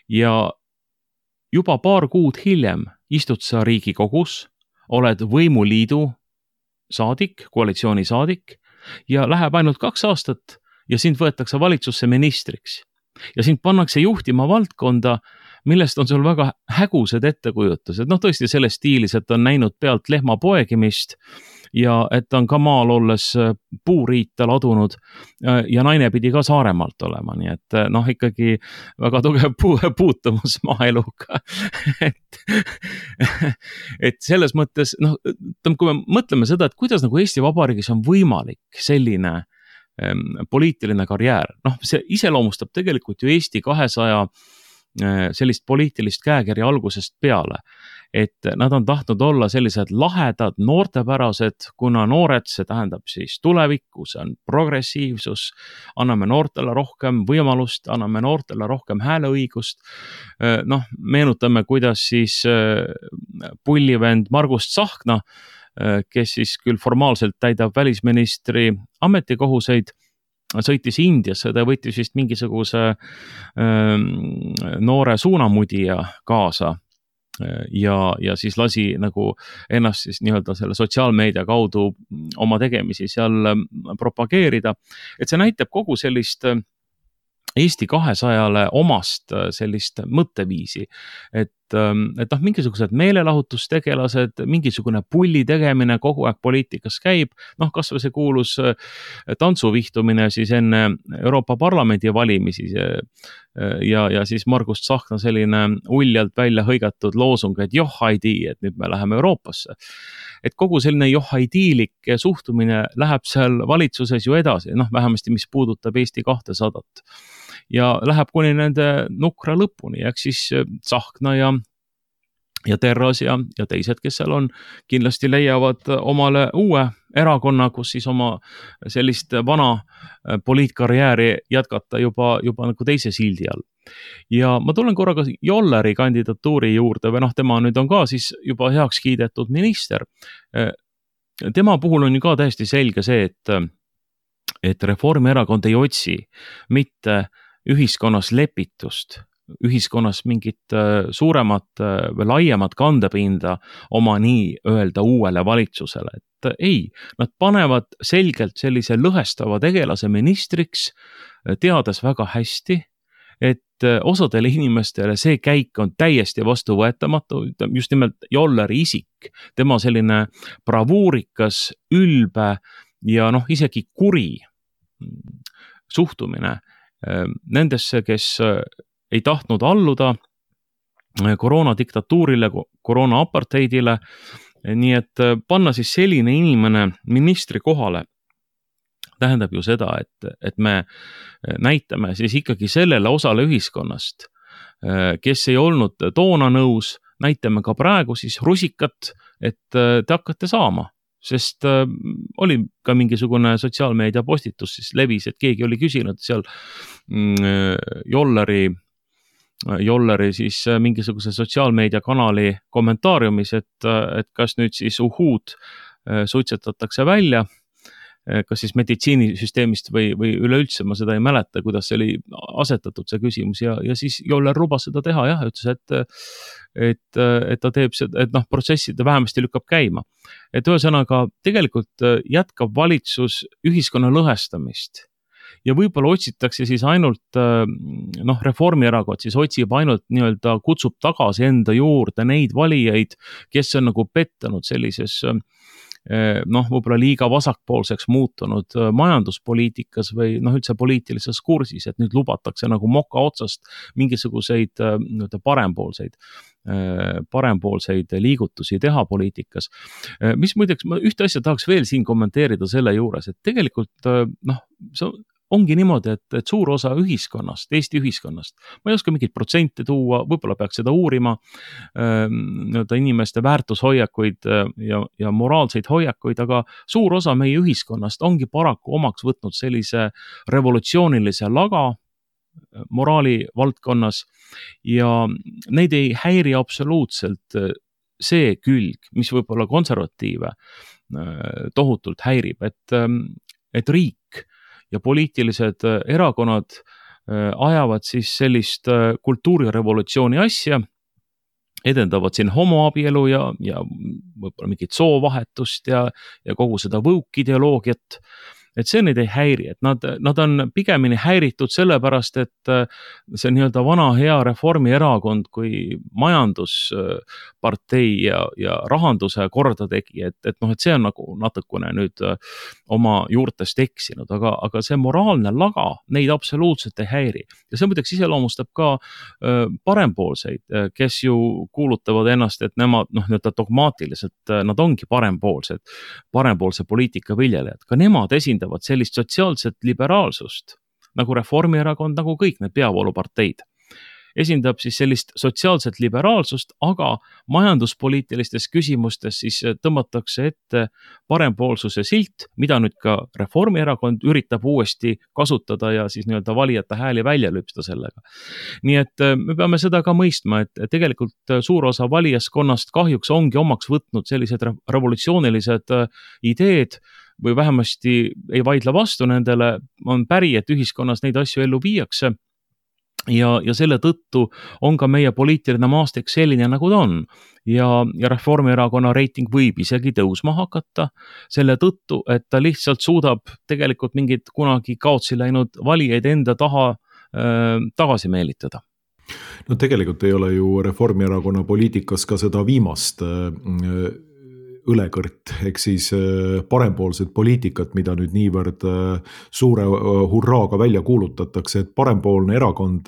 Ja juba paar kuud hiljem istud sa Riigikogus, oled võimuliidu saadik, koalitsiooni saadik ja läheb ainult 2 aastat ja sind võetakse valitsusse ministriks. Ja sind pannakse juhtima valdkonda, millest on sul väga hägused ettekujutused. Tõesti selles stiilis, et on näinud pealt lehma poegimist ja et on ka maal olles puuriita ladunud ja naine pidi ka Saaremaalt olema. Nii et ikkagi väga tugev puutumus maaeluga. et selles mõttes, kui me mõtleme seda, et kuidas nagu Eesti Vabariigis on võimalik selline poliitiline karjäär, see iseloomustab tegelikult ju Eesti 200 sellist poliitilist käekirja algusest peale, et nad on tahtnud olla sellised lahedad, noortepärased, kuna noored, see tähendab siis tulevikku, see on progressiivsus, anname noortele rohkem võimalust, anname noortele rohkem hääleõigust. Meenutame, kuidas siis pullivend Margus Tsahkna, kes siis küll formaalselt täidab välisministri ametikohuseid, sõitis Indiasse, ta võttis vist mingisuguse noore suunamudija kaasa ja siis lasi nagu ennast siis nii-öelda selle sotsiaalmeedia kaudu oma tegemisi seal propageerida. Et see näitab kogu sellist Eesti 200-le omast sellist mõtteviisi, et mingisugused meelelahutustegelased, mingisugune pulli tegemine kogu aeg poliitikas käib, kas või see kuulus tantsuvihtumine siis enne Euroopa Parlamendi valimisi ja siis Margus Tsahkna selline uljalt välja hõigatud loosung, et johhaidi, et nüüd me läheme Euroopasse. Et kogu selline johhaidiilik suhtumine läheb seal valitsuses ju edasi, vähemasti mis puudutab Eesti 200. Ja läheb kuni nende nukra lõpuni, eks siis Tsahkna ja Terras ja teised, kes seal on, kindlasti leiavad omale uue erakonna, kus siis oma sellist vana poliitkarjääri jätkata juba nagu teise sildi all. Ja ma tulen korraga Jolleri kandidatuuri juurde või tema nüüd on ka siis juba heaks kiidetud minister. Tema puhul on ju ka täiesti selge see, et Reformierakond ei otsi mitte ühiskonnas lepitust, ühiskonnas mingit suuremat või laiemat kandepinda oma nii-öelda uuele valitsusele. Et ei, nad panevad selgelt sellise lõhestava tegelase ministriks, teades väga hästi, et osadele inimestele see käik on täiesti vastuvõetamatu, just nimelt Jolleri isik, tema selline bravuurikas, ülbe ja isegi kuri suhtumine nendesse, kes ei tahtnud alluda koroonadiktatuurile, koroona-apartheidile, nii et panna siis selline inimene ministri kohale tähendab ju seda, et me näitame siis ikkagi sellele osale ühiskonnast, kes ei olnud toona nõus, näitame ka praegu siis rusikat, et te hakkate saama, sest oli ka mingisugune sotsiaalmeedia postitus siis levis, et keegi oli küsinud seal Jolleri Jolleri siis mingisuguse sotsiaalmeediakanali kommentaariumis, et kas nüüd siis uhhuud suitsetatakse välja, kas siis meditsiinisüsteemist või üleüldse, ma seda ei mäleta, kuidas see oli asetatud see küsimus ja siis Joller lubas seda teha jah, ütles, et ta teeb seda, et protsessi ta vähemasti lükkab käima. Et ühesõnaga tegelikult jätkab valitsus ühiskonna lõhestamist ja võib-olla otsitakse siis ainult, Reformierakond siis otsib ainult nii-öelda, kutsub tagasi enda juurde neid valijaid, kes on nagu pettanud sellises võib-olla liiga vasakpoolseks muutunud majanduspoliitikas või üldse poliitilises kursis, et nüüd lubatakse nagu moka otsast mingisuguseid parempoolseid liigutusi teha poliitikas. Mis muideks, ma ühte asja tahaks veel siin kommenteerida selle juures, et tegelikult see ongi niimoodi, et suur osa ühiskonnast, Eesti ühiskonnast, ma ei oska mingit protsente tuua, võib-olla peaks seda uurima, inimeste väärtushoiakuid ja moraalseid hoiakuid, aga suur osa meie ühiskonnast ongi paraku omaks võtnud sellise revolutsioonilise laga moraali valdkonnas ja neid ei häiri absoluutselt see külg, mis võib-olla konservatiive tohutult häirib, et riik ja poliitilised erakonnad ajavad siis sellist kultuurirevolutsiooni asja, edendavad siin homoabielu ja võib-olla mingit soovahetust ja kogu seda woke ideoloogiat, et see neid ei häiri, et nad on pigemini häiritud sellepärast, et see nii-öelda vana hea Reformierakond kui majanduspartei ja rahanduse korda tegi, et see on nagu natukene nüüd oma juurtest eksinud, aga see moraalne laga neid absoluutselt ei häiri. Ja see muideks iseloomustab ka parempoolseid, kes ju kuulutavad ennast, et nemad nii-öelda dogmaatiliselt, nad ongi parempoolse poliitika viljelejad, ka nemad esindavad sellist sotsiaalset liberaalsust, nagu Reformierakond, nagu kõik need peavooluparteid. Esindab siis sellist sotsiaalset liberaalsust, aga majanduspoliitilistes küsimustes siis tõmmatakse ette parempoolsuse silt, mida nüüd ka Reformierakond üritab uuesti kasutada ja siis nii-öelda valijate hääli välja lüpsta sellega. Nii et me peame seda ka mõistma, et tegelikult suur osa valijaskonnast kahjuks ongi omaks võtnud sellised revolutsioonilised ideed, või vähemasti ei vaidle vastu nendele, on päri, et ühiskonnas neid asju ellu viiakse ja selle tõttu on ka meie poliitiline maastik selline, nagu ta on. Ja Reformierakonna reiting võib isegi tõusma hakata selle tõttu, et ta lihtsalt suudab tegelikult mingid kunagi kaotsi läinud valijaid enda taha tagasi meelitada. No tegelikult ei ole ju Reformierakonna poliitikas ka seda viimast õlekõrt, ehk siis parempoolsed poliitikat, mida nüüd niivõrd suure hurraaga välja kuulutatakse, et parempoolne erakond,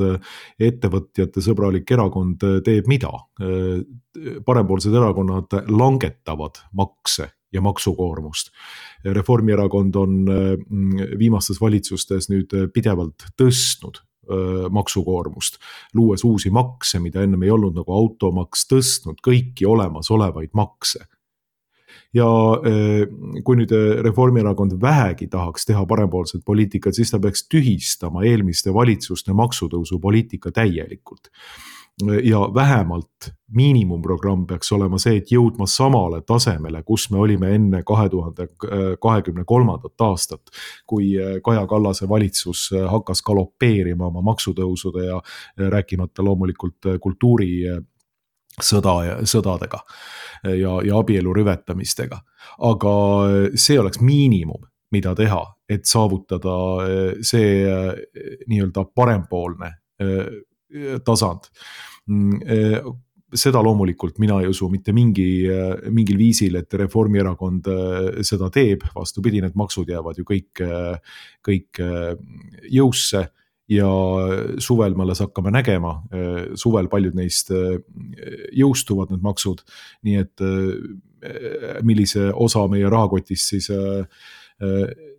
ettevõtjate sõbralik erakond teeb mida? Parempoolsed erakonnad langetavad makse ja maksukoormust. Reformierakond on viimastes valitsustes nüüd pidevalt tõstnud maksukoormust, luues uusi makse, mida ennem ei olnud, nagu automaks, tõstnud kõiki olemasolevaid makse. Ja kui nüüd Reformierakond vähegi tahaks teha parempoolset poliitikat, siis ta peaks tühistama eelmiste valitsuste maksutõusu poliitika täielikult. Ja vähemalt miinimumprogramm peaks olema see, et jõudma samale tasemele, kus me olime enne 2023. aastat, kui Kaja Kallase valitsus hakkas galopeerima oma maksutõusude ja rääkimata loomulikult sõdadega ja abielu rüvetamistega. Aga see oleks miinimum, mida teha, et saavutada see nii-öelda parempoolne tasand. Seda loomulikult mina ei usu mitte mingil viisil, et Reformierakond seda teeb, vastupidi, need maksud jäävad ju kõik jõusse. Ja suvel me alles hakkame nägema, suvel paljud neist jõustuvad need maksud, nii et millise osa meie rahakotist siis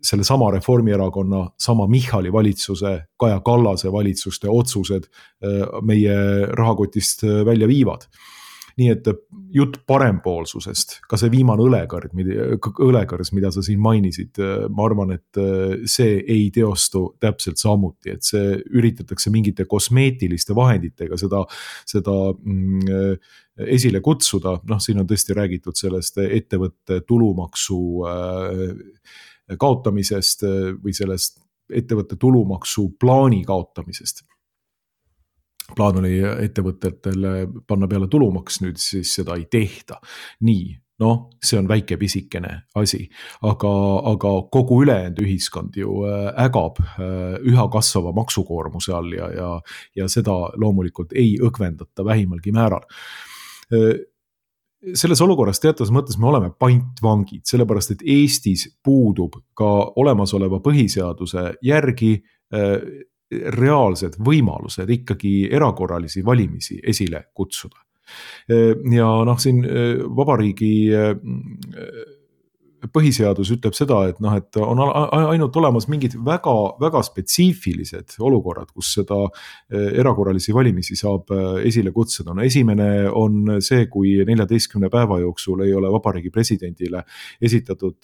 selle sama Reformierakonna, sama Michali valitsuse, Kaja Kallase valitsuste otsused meie rahakotist välja viivad. nii et jutt parempoolsusest, ka see viimane õlekõrs, mida sa siin mainisid, ma arvan, et see ei teostu täpselt samuti, et see üritatakse mingite kosmeetiliste vahenditega seda esile kutsuda, siin on tõesti räägitud sellest ettevõtte tulumaksu kaotamisest või sellest ettevõtte tulumaksu plaani kaotamisest. Plaan oli ettevõtetele panna peale tulumaks, nüüd siis seda ei tehta. Nii, see on väike pisikene asi, aga kogu ülejäänud ühiskond ju ägab üha kasvava maksukoormuse all ja seda loomulikult ei õgvendata vähimalgi määral. Selles olukorras teatavas mõttes me oleme pantvangid, sellepärast et Eestis puudub ka olemasoleva põhiseaduse järgi reaalsed võimalused ikkagi erakorralisi valimisi esile kutsuda. Ja siin vabariigi põhiseadus ütleb seda, et on ainult olemas mingid väga, väga spetsiifilised olukorrad, kus seda erakorralisi valimisi saab esile kutsuda. Esimene on see, kui 14 päeva jooksul ei ole vabariigi presidendile esitatud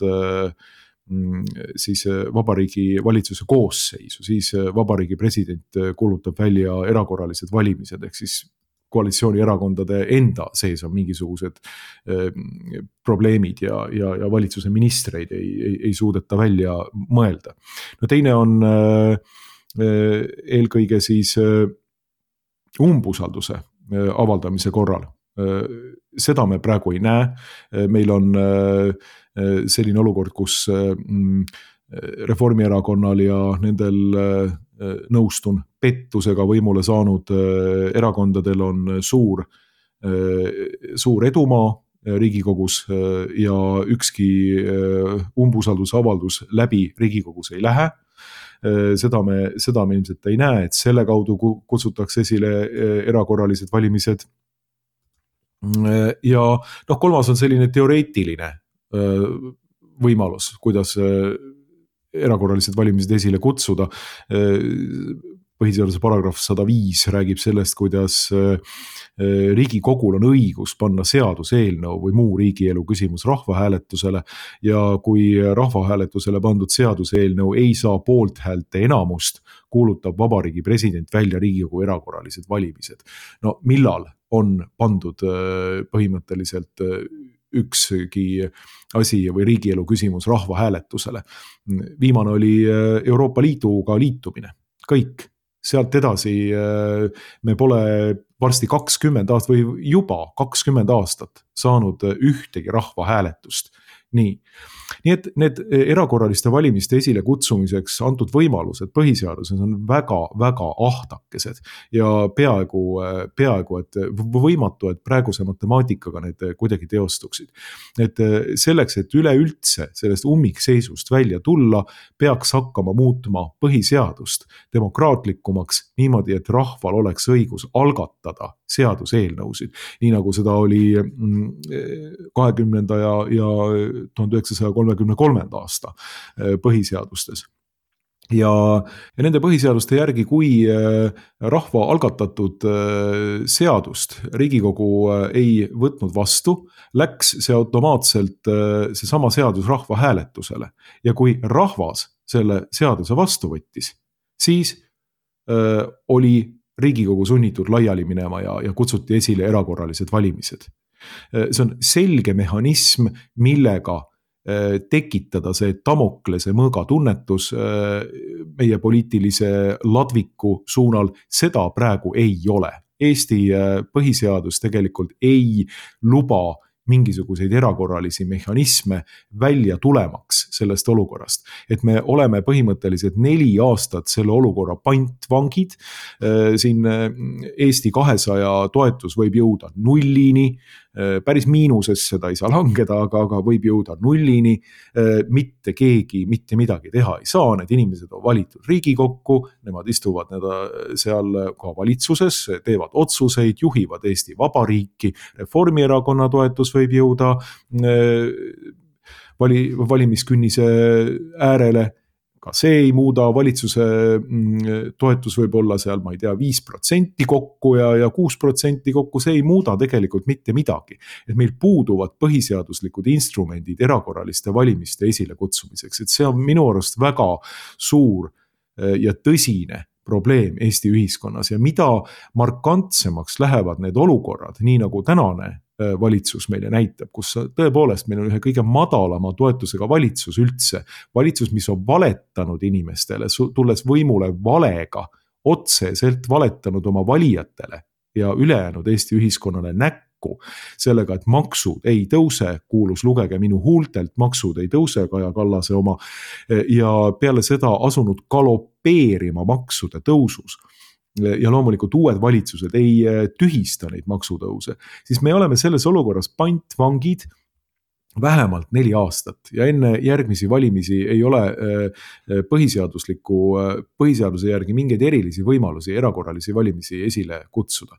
siis vabariigi valitsuse koosseisu, siis vabariigi president kuulutab välja erakorralised valimised, ehk siis koalitsioonierakondade enda sees on mingisugused probleemid ja valitsuse ministreid ei suudeta välja mõelda. Teine on eelkõige siis umbusalduse avaldamise korral. Seda me praegu ei näe, meil on selline olukord, kus Reformierakonnal ja nendel nõustun pettusega võimule saanud erakondadel on suur edumaa Riigikogus ja ükski umbusaldusavaldus läbi Riigikogus ei lähe. Seda me ilmselt ei näe, et selle kaudu kutsutakse esile erakorralised valimised. Ja kolmas on selline teoreetiline võimalus, kuidas erakorralised valimised esile kutsuda. Põhiseaduse paragrahv 105 räägib sellest, kuidas Riigikogul on õigus panna seaduseelnõu või muu riigielu küsimus rahvahääletusele ja kui rahvahääletusele pandud seaduseelnõu ei saa poolthäälte enamust, kuulutab vabariigi president välja Riigikogu erakorralised valimised. Millal on pandud põhimõtteliselt ükski asi või riigielu küsimus rahvahääletusele? Viimane oli Euroopa Liiduga liitumine, kõik. Sealt edasi me pole varsti 20 aastat või juba 20 aastat saanud ühtegi rahvahääletust. Nii et need erakorraliste valimiste esile kutsumiseks antud võimalused põhiseaduses on väga, väga ahtakesed ja peaaegu, et võimatu, et praeguse matemaatikaga need kuidagi teostuksid. Et selleks, et üleüldse sellest ummikseisust välja tulla, peaks hakkama muutma põhiseadust demokraatlikumaks niimoodi, et rahval oleks õigus algatada seaduseelnõusid, nii nagu seda oli 20. ja 1933. aasta põhiseadustes. Ja nende põhiseaduste järgi, kui rahva algatatud seadust Riigikogu ei võtnud vastu, läks see automaatselt seesama seadus rahvahääletusele. Ja kui rahvas selle seaduse vastu võttis, siis oli Riigikogu sunnitud laiali minema ja kutsuti esile erakorralised valimised. See on selge mehhanism, millega tekitada see Damoklese mõõga tunnetus meie poliitilise ladviku suunal, seda praegu ei ole. Eesti põhiseadus tegelikult ei luba mingisuguseid erakorralisi mehhanisme välja tulemaks sellest olukorrast. Et me oleme põhimõtteliselt 4 aastat selle olukorra pantvangid. Siin Eesti 200 toetus võib jõuda nullini, päris miinusesse seda ei saa langeda, aga võib jõuda nullini. Mitte keegi mitte midagi teha ei saa, need inimesed on valitud Riigikokku, nemad istuvad seal ka valitsuses, teevad otsuseid, juhivad Eesti Vabariiki, Reformierakonna toetus võib jõuda valimiskünnise äärele. ka see ei muuda, valitsuse toetus võib olla seal, ma ei tea, 5% kokku ja 6% kokku, see ei muuda tegelikult mitte midagi. Et meil puuduvad põhiseaduslikud instrumendid erakorraliste valimiste esile kutsumiseks, et see on minu arust väga suur ja tõsine probleem Eesti ühiskonnas ja mida markantsemaks lähevad need olukorrad, nii nagu tänane valitsus meile näitab, kus tõepoolest meil on ühe kõige madalama toetusega valitsus üldse, valitsus, mis on valetanud inimestele, tulles võimule valega, otseselt valetanud oma valijatele ja ülejäänud Eesti ühiskonnale näkku sellega, et maksud ei tõuse, kuulus lugege minu huultelt, maksud ei tõuse, Kaja Kallase oma, ja peale seda asunud galopeerima maksude tõusus. Ja loomulikult uued valitsused ei tühista neid maksutõuse, siis me oleme selles olukorras pantvangid vähemalt 4 aastat ja enne järgmisi valimisi ei ole põhiseaduse järgi mingeid erilisi võimalusi erakorralisi valimisi esile kutsuda.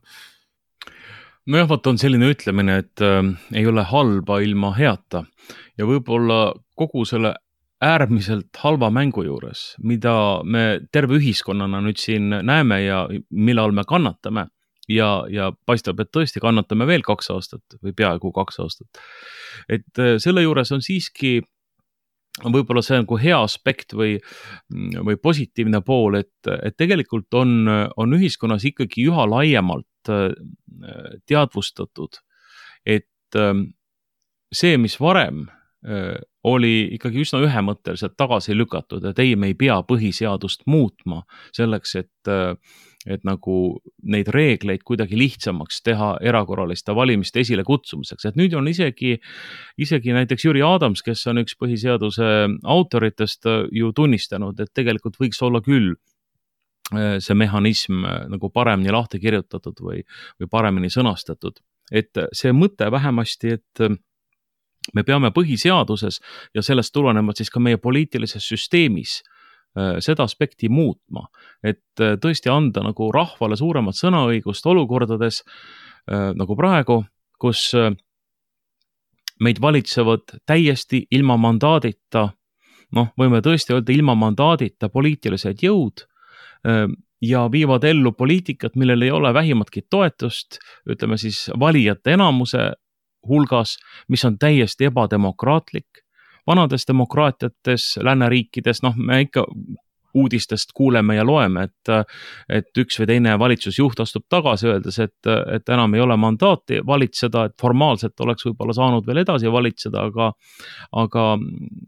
Nojah, vaat on selline ütlemine, et ei ole halba ilma heata ja võib-olla kogu selle äärmiselt halva mängu juures, mida me terve ühiskonnana nüüd siin näeme ja millal me kannatame ja paistab, et tõesti kannatame veel 2 aastat või peaaegu 2 aastat. Et selle juures on siiski võib-olla see nagu hea aspekt või positiivne pool, et tegelikult on ühiskonnas ikkagi üha laiemalt teadvustatud, et see, mis varem oli ikkagi üsna ühemõtteliselt tagasi lükatud, et ei, me ei pea põhiseadust muutma selleks, et nagu neid reegleid kuidagi lihtsamaks teha erakorraliste valimiste esile kutsumiseks. Et nüüd on isegi näiteks Jüri Adams, kes on üks põhiseaduse autoritest, ju tunnistanud, et tegelikult võiks olla küll see mehhanism nagu paremini lahti kirjutatud või paremini sõnastatud. Et see mõte vähemasti, et me peame põhiseaduses ja sellest tulenevalt siis ka meie poliitilises süsteemis seda aspekti muutma, et tõesti anda nagu rahvale suuremat sõnaõigust olukordades nagu praegu, kus meid valitsevad täiesti ilma mandaadita, võime tõesti öelda ilma mandaadita poliitilised jõud ja viivad ellu poliitikat, millel ei ole vähimatki toetust, ütleme siis valijate enamuse hulgas, mis on täiesti ebademokraatlik. Vanades demokraatiates, lääneriikides, me ikka uudistest kuuleme ja loeme, et üks või teine valitsusjuht astub tagasi, öeldes, et enam ei ole mandaati valitseda, et formaalselt oleks võib-olla saanud veel edasi valitseda, aga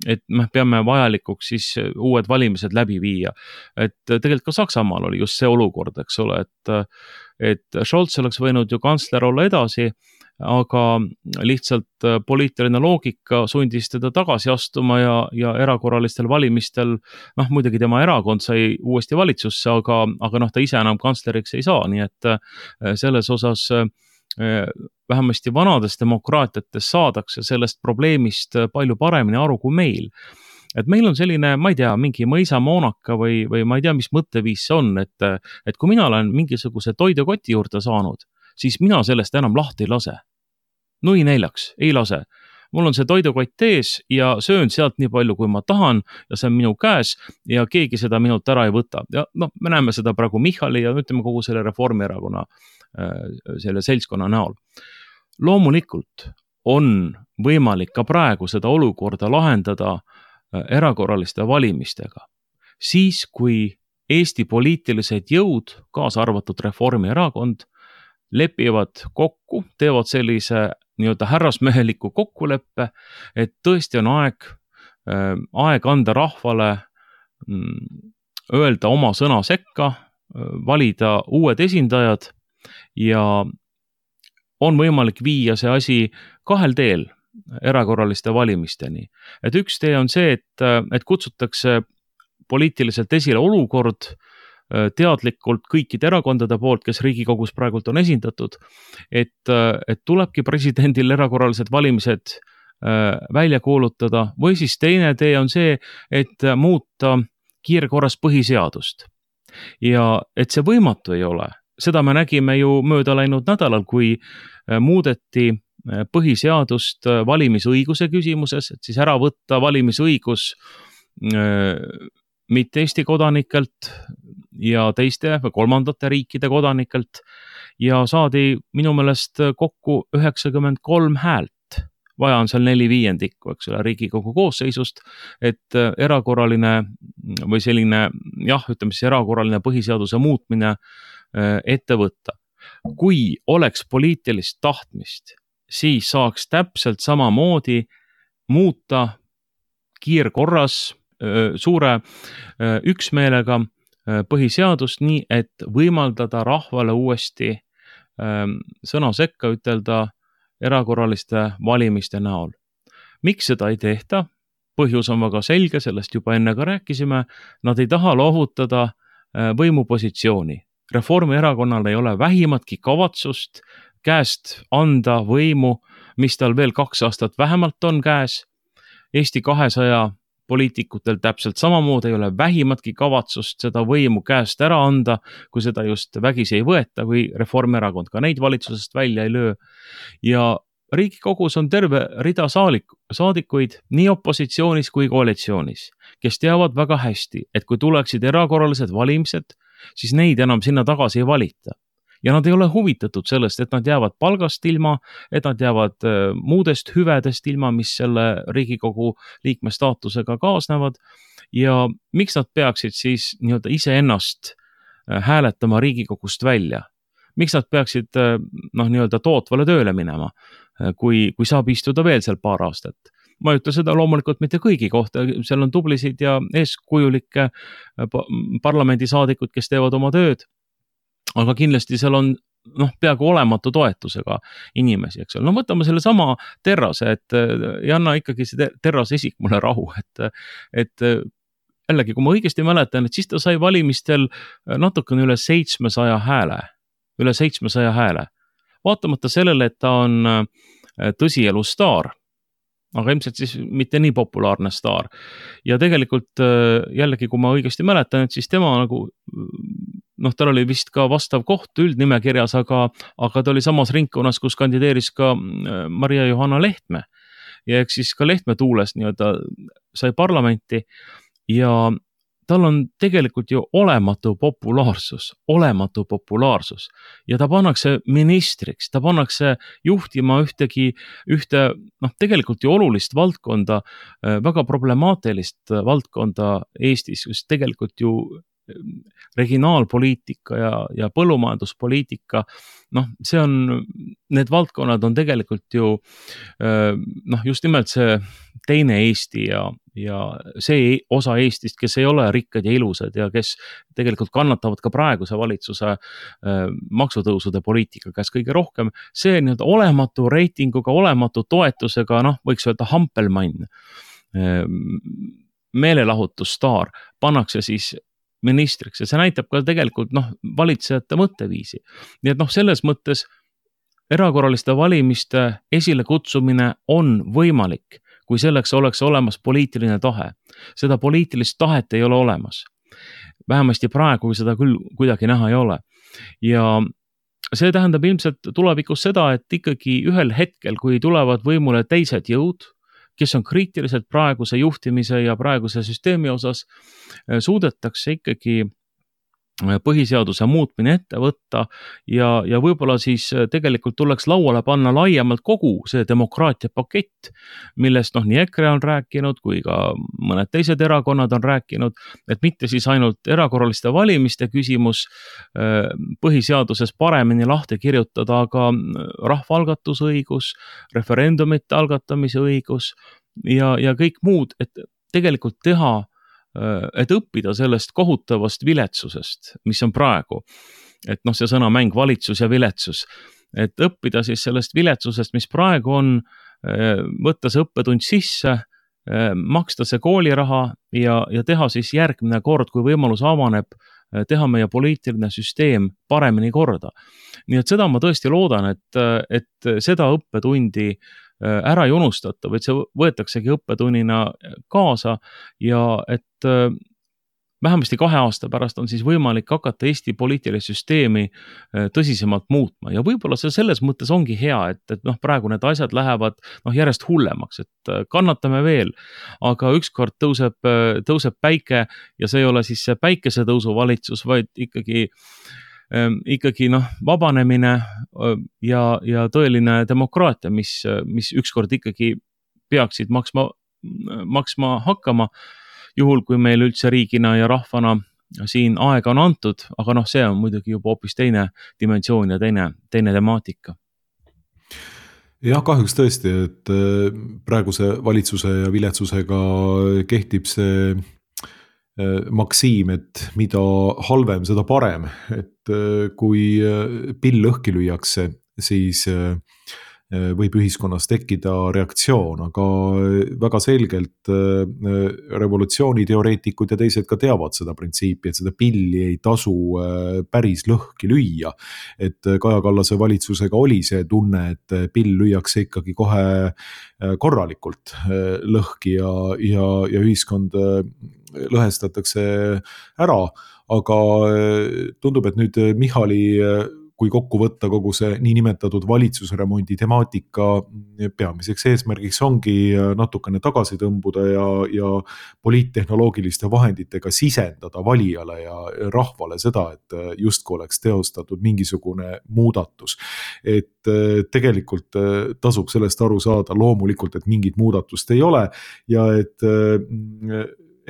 et me peame vajalikuks siis uued valimised läbi viia. Et tegelikult ka Saksamaal oli just see olukord, eks ole, et Scholz oleks võinud ju kantsler olla edasi, aga lihtsalt poliitiline loogika sundis teda tagasi astuma ja erakorralistel valimistel, muidugi tema erakond sai uuesti valitsusse, aga ta ise enam kantsleriks ei saa, nii et selles osas vähemasti vanades demokraatiates saadakse sellest probleemist palju paremini aru kui meil. Et meil on selline, ma ei tea, mingi mõisamoonaka või ma ei tea, mis mõtteviis see on, et kui mina olen mingisuguse toidukoti juurde saanud, siis mina sellest enam lahti ei lase. Nui neljaks, ei lase. Mul on see toidukott ees ja söön sealt nii palju, kui ma tahan ja see on minu käes ja keegi seda minult ära ei võta. Ja me näeme seda praegu Michali ja ütleme kogu selle Reformierakonna selle seltskonna näol. Loomulikult on võimalik ka praegu seda olukorda lahendada erakorraliste valimistega. Siis, kui Eesti poliitilised jõud, kaasa arvatud Reformierakond, lepivad kokku, teevad sellise nii-öelda härrasmeheliku kokkuleppe, et tõesti on aeg anda rahvale öelda oma sõna sekka, valida uued esindajad ja on võimalik viia see asi 2 teel erakorraliste valimisteni. Et üks tee on see, et kutsutakse poliitiliselt esile olukord teadlikult kõikide erakondade poolt, kes Riigikogus praegult on esindatud, et tulebki presidendil erakorralised valimised välja kuulutada või siis teine tee on see, et muuta kiirkorras põhiseadust. Ja et see võimatu ei ole, seda me nägime ju mööda läinud nädalal, kui muudeti põhiseadust valimisõiguse küsimuses, et siis ära võtta valimisõigus mitte Eesti kodanikelt ja teiste või kolmandate riikide kodanikelt ja saadi minu meelest kokku 93 häält. Vaja on seal 4/5, eks ole, Riigikogu koosseisust, et erakorraline või selline, ütleme siis erakorraline põhiseaduse muutmine ette võtta. Kui oleks poliitilist tahtmist, siis saaks täpselt samamoodi muuta kiirkorras suure üksmeelega põhiseadust nii, et võimaldada rahvale uuesti sõna sekka ütelda erakorraliste valimiste näol. Miks seda ei tehta? Põhjus on väga selge, sellest juba enne ka rääkisime. Nad ei taha loovutada võimupositsiooni. Reformierakonnal ei ole vähimatki kavatsust käest anda võimu, mis tal veel 2 aastat vähemalt on käes. Eesti 200 poliitikutel täpselt samamoodi ei ole vähimatki kavatsust seda võimu käest ära anda, kui seda just vägisi ei võeta või Reformierakond ka neid valitsusest välja ei löö. Ja Riigikogus on terve rida saadikuid nii opositsioonis kui koalitsioonis, kes teavad väga hästi, et kui tuleksid erakorralised valimised, siis neid enam sinna tagasi ei valita. Ja nad ei ole huvitatud sellest, et nad jäävad palgast ilma, et nad jäävad muudest hüvedest ilma, mis selle Riigikogu liikme staatusega kaasnevad. Ja miks nad peaksid siis ise ennast hääletama Riigikogust välja? Miks nad peaksid tootvale tööle minema, kui saab istuda veel seal paar aastat? Ma ei ütle seda loomulikult mitte kõigi kohta, seal on tublisid ja eeskujulikke parlamendisaadikud, kes teevad oma tööd. Aga kindlasti seal on peaaegu olematu toetusega inimesi, eks ole. No võtame selle sama Terrase, et ei anna ikkagi see Terrase isik mulle rahu, et jällegi, kui ma õigesti mäletan, et siis ta sai valimistel natukene üle 700 hääle. Vaatamata sellele, et ta on tõsielu staar, aga ilmselt siis mitte nii populaarne staar. Ja tegelikult jällegi, kui ma õigesti mäletan, et siis tema tal oli vist ka vastav koht üldnimekirjas, aga ta oli samas ringkonnas, kus kandideeris ka Maria-Johanna Lehtme. Ja eks siis ka Lehtme tuules sai parlamenti ja tal on tegelikult ju olematu populaarsus ja ta pannakse ministriks, ta pannakse juhtima ühte tegelikult ju olulist valdkonda, väga problemaatilist valdkonda Eestis, kus tegelikult ju regionaalpoliitika ja põllumajanduspoliitika, need valdkonnad on tegelikult ju just nimelt see teine Eesti ja see osa Eestist, kes ei ole rikkad ja ilusad ja kes tegelikult kannatavad ka praeguse valitsuse maksutõusude poliitika käes kõige rohkem, see olematu reitinguga, olematu toetusega, võiks öelda hampelmann, meelelahutusstaar, pannakse siis ministriks ja see näitab ka tegelikult valitsejate mõtteviisi. Nii et selles mõttes erakorraliste valimiste esile kutsumine on võimalik, kui selleks oleks olemas poliitiline tahe. Seda poliitilist tahet ei ole olemas. Vähemasti praegu seda küll kuidagi näha ei ole. Ja see tähendab ilmselt tulevikus seda, et ikkagi ühel hetkel, kui tulevad võimule teised jõud, kes on kriitiliselt praeguse juhtimise ja praeguse süsteemi osas, suudetakse ikkagi põhiseaduse muutmine ette võtta ja võib-olla siis tegelikult tuleks lauale panna laiemalt kogu see demokraatia pakett, millest nii EKRE on rääkinud kui ka mõned teised erakonnad on rääkinud, et mitte siis ainult erakorraliste valimiste küsimus põhiseaduses paremini lahti kirjutada, aga rahvaalgatusõigus, referendumite algatamise õigus ja kõik muud, et tegelikult et õppida sellest kohutavast viletsusest, mis on praegu. Et see sõnamäng valitsus ja viletsus. Et õppida siis sellest viletsusest, mis praegu on, võtta see õppetund sisse, maksta see kooliraha ja teha siis järgmine kord, kui võimalus avaneb, teha meie poliitiline süsteem paremini korda. Nii et seda ma tõesti loodan, et seda õppetundi ära ei unustata, vaid see võetaksegi õppetunnina kaasa ja et vähemasti 2 aasta pärast on siis võimalik hakata Eesti poliitilist süsteemi tõsisemalt muutma ja võib-olla see selles mõttes ongi hea, et praegu need asjad lähevad järjest hullemaks, et kannatame veel, aga ükskord tõuseb päike ja see ei ole siis see päikesetõusu valitsus, vaid ikkagi vabanemine ja tõeline demokraatia, mis ükskord ikkagi peaksid maksma hakkama, juhul kui meil üldse riigina ja rahvana siin aega on antud, aga see on muidugi juba hoopis teine dimensioon ja teine temaatika. Jah, kahjuks tõesti, et praeguse valitsuse ja viletsusega kehtib see maksiim, et mida halvem, seda parem, et kui pill õhki lüüakse, siis võib ühiskonnas tekkida reaktsioon, aga väga selgelt revolutsiooniteoreetikud ja teised ka teavad seda printsiipi, et seda pilli ei tasu päris lõhki lüüa. Et Kaja Kallase valitsusega oli see tunne, et pill lüüakse ikkagi kohe korralikult lõhki ja ühiskond lõhestatakse ära, aga tundub, et nüüd Michali, kui kokku võtta kogu see niinimetatud valitsusremondi temaatika, peamiseks eesmärgiks ongi natukene tagasi tõmbuda ja poliittehnoloogiliste vahenditega sisendada valijale ja rahvale seda, et justkui oleks teostatud mingisugune muudatus. Et tegelikult tasub sellest aru saada loomulikult, et mingit muudatust ei ole ja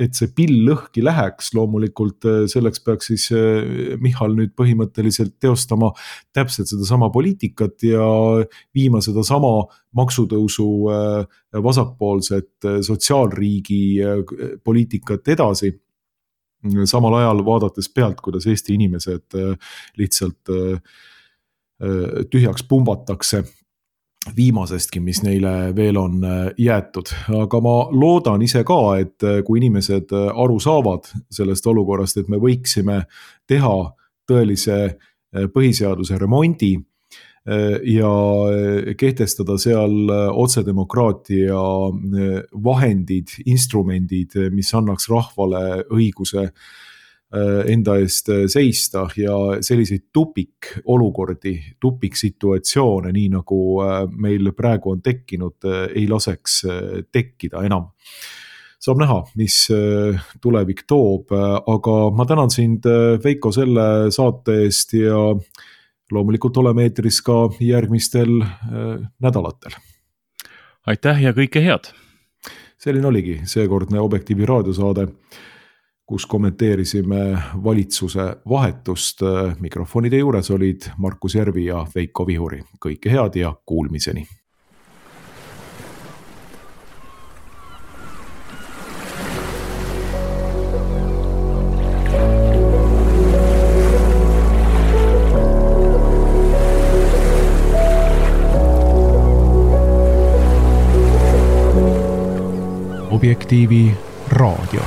et see pill lõhki läheks, loomulikult selleks peaks siis Michal nüüd põhimõtteliselt teostama täpselt seda sama poliitikat ja viima seda sama maksutõusu vasakpoolset sotsiaalriigi poliitikat edasi. Samal ajal vaadates pealt, kuidas Eesti inimesed lihtsalt tühjaks pumbatakse viimasestki, mis neile veel on jäetud. Aga ma loodan ise ka, et kui inimesed aru saavad sellest olukorrast, et me võiksime teha tõelise põhiseaduse remondi ja kehtestada seal otsedemokraatia vahendid, instrumendid, mis annaks rahvale õiguse enda eest seista ja selliseid tupikolukordi, tupiksituatsioone, nii nagu meil praegu on tekkinud, ei laseks tekkida enam. Saab näha, mis tulevik toob, aga ma tänan sind, Veiko, selle saate eest ja loomulikult oleme eetris ka järgmistel nädalatel. Aitäh ja kõike head! Selline oligi seekordne Objektiivi raadiosaade, kus kommenteerisime valitsuse vahetust. Mikrofonide juures olid Markus Järvi ja Veiko Vihuri. Kõike head ja kuulmiseni! Objektiivi raadio.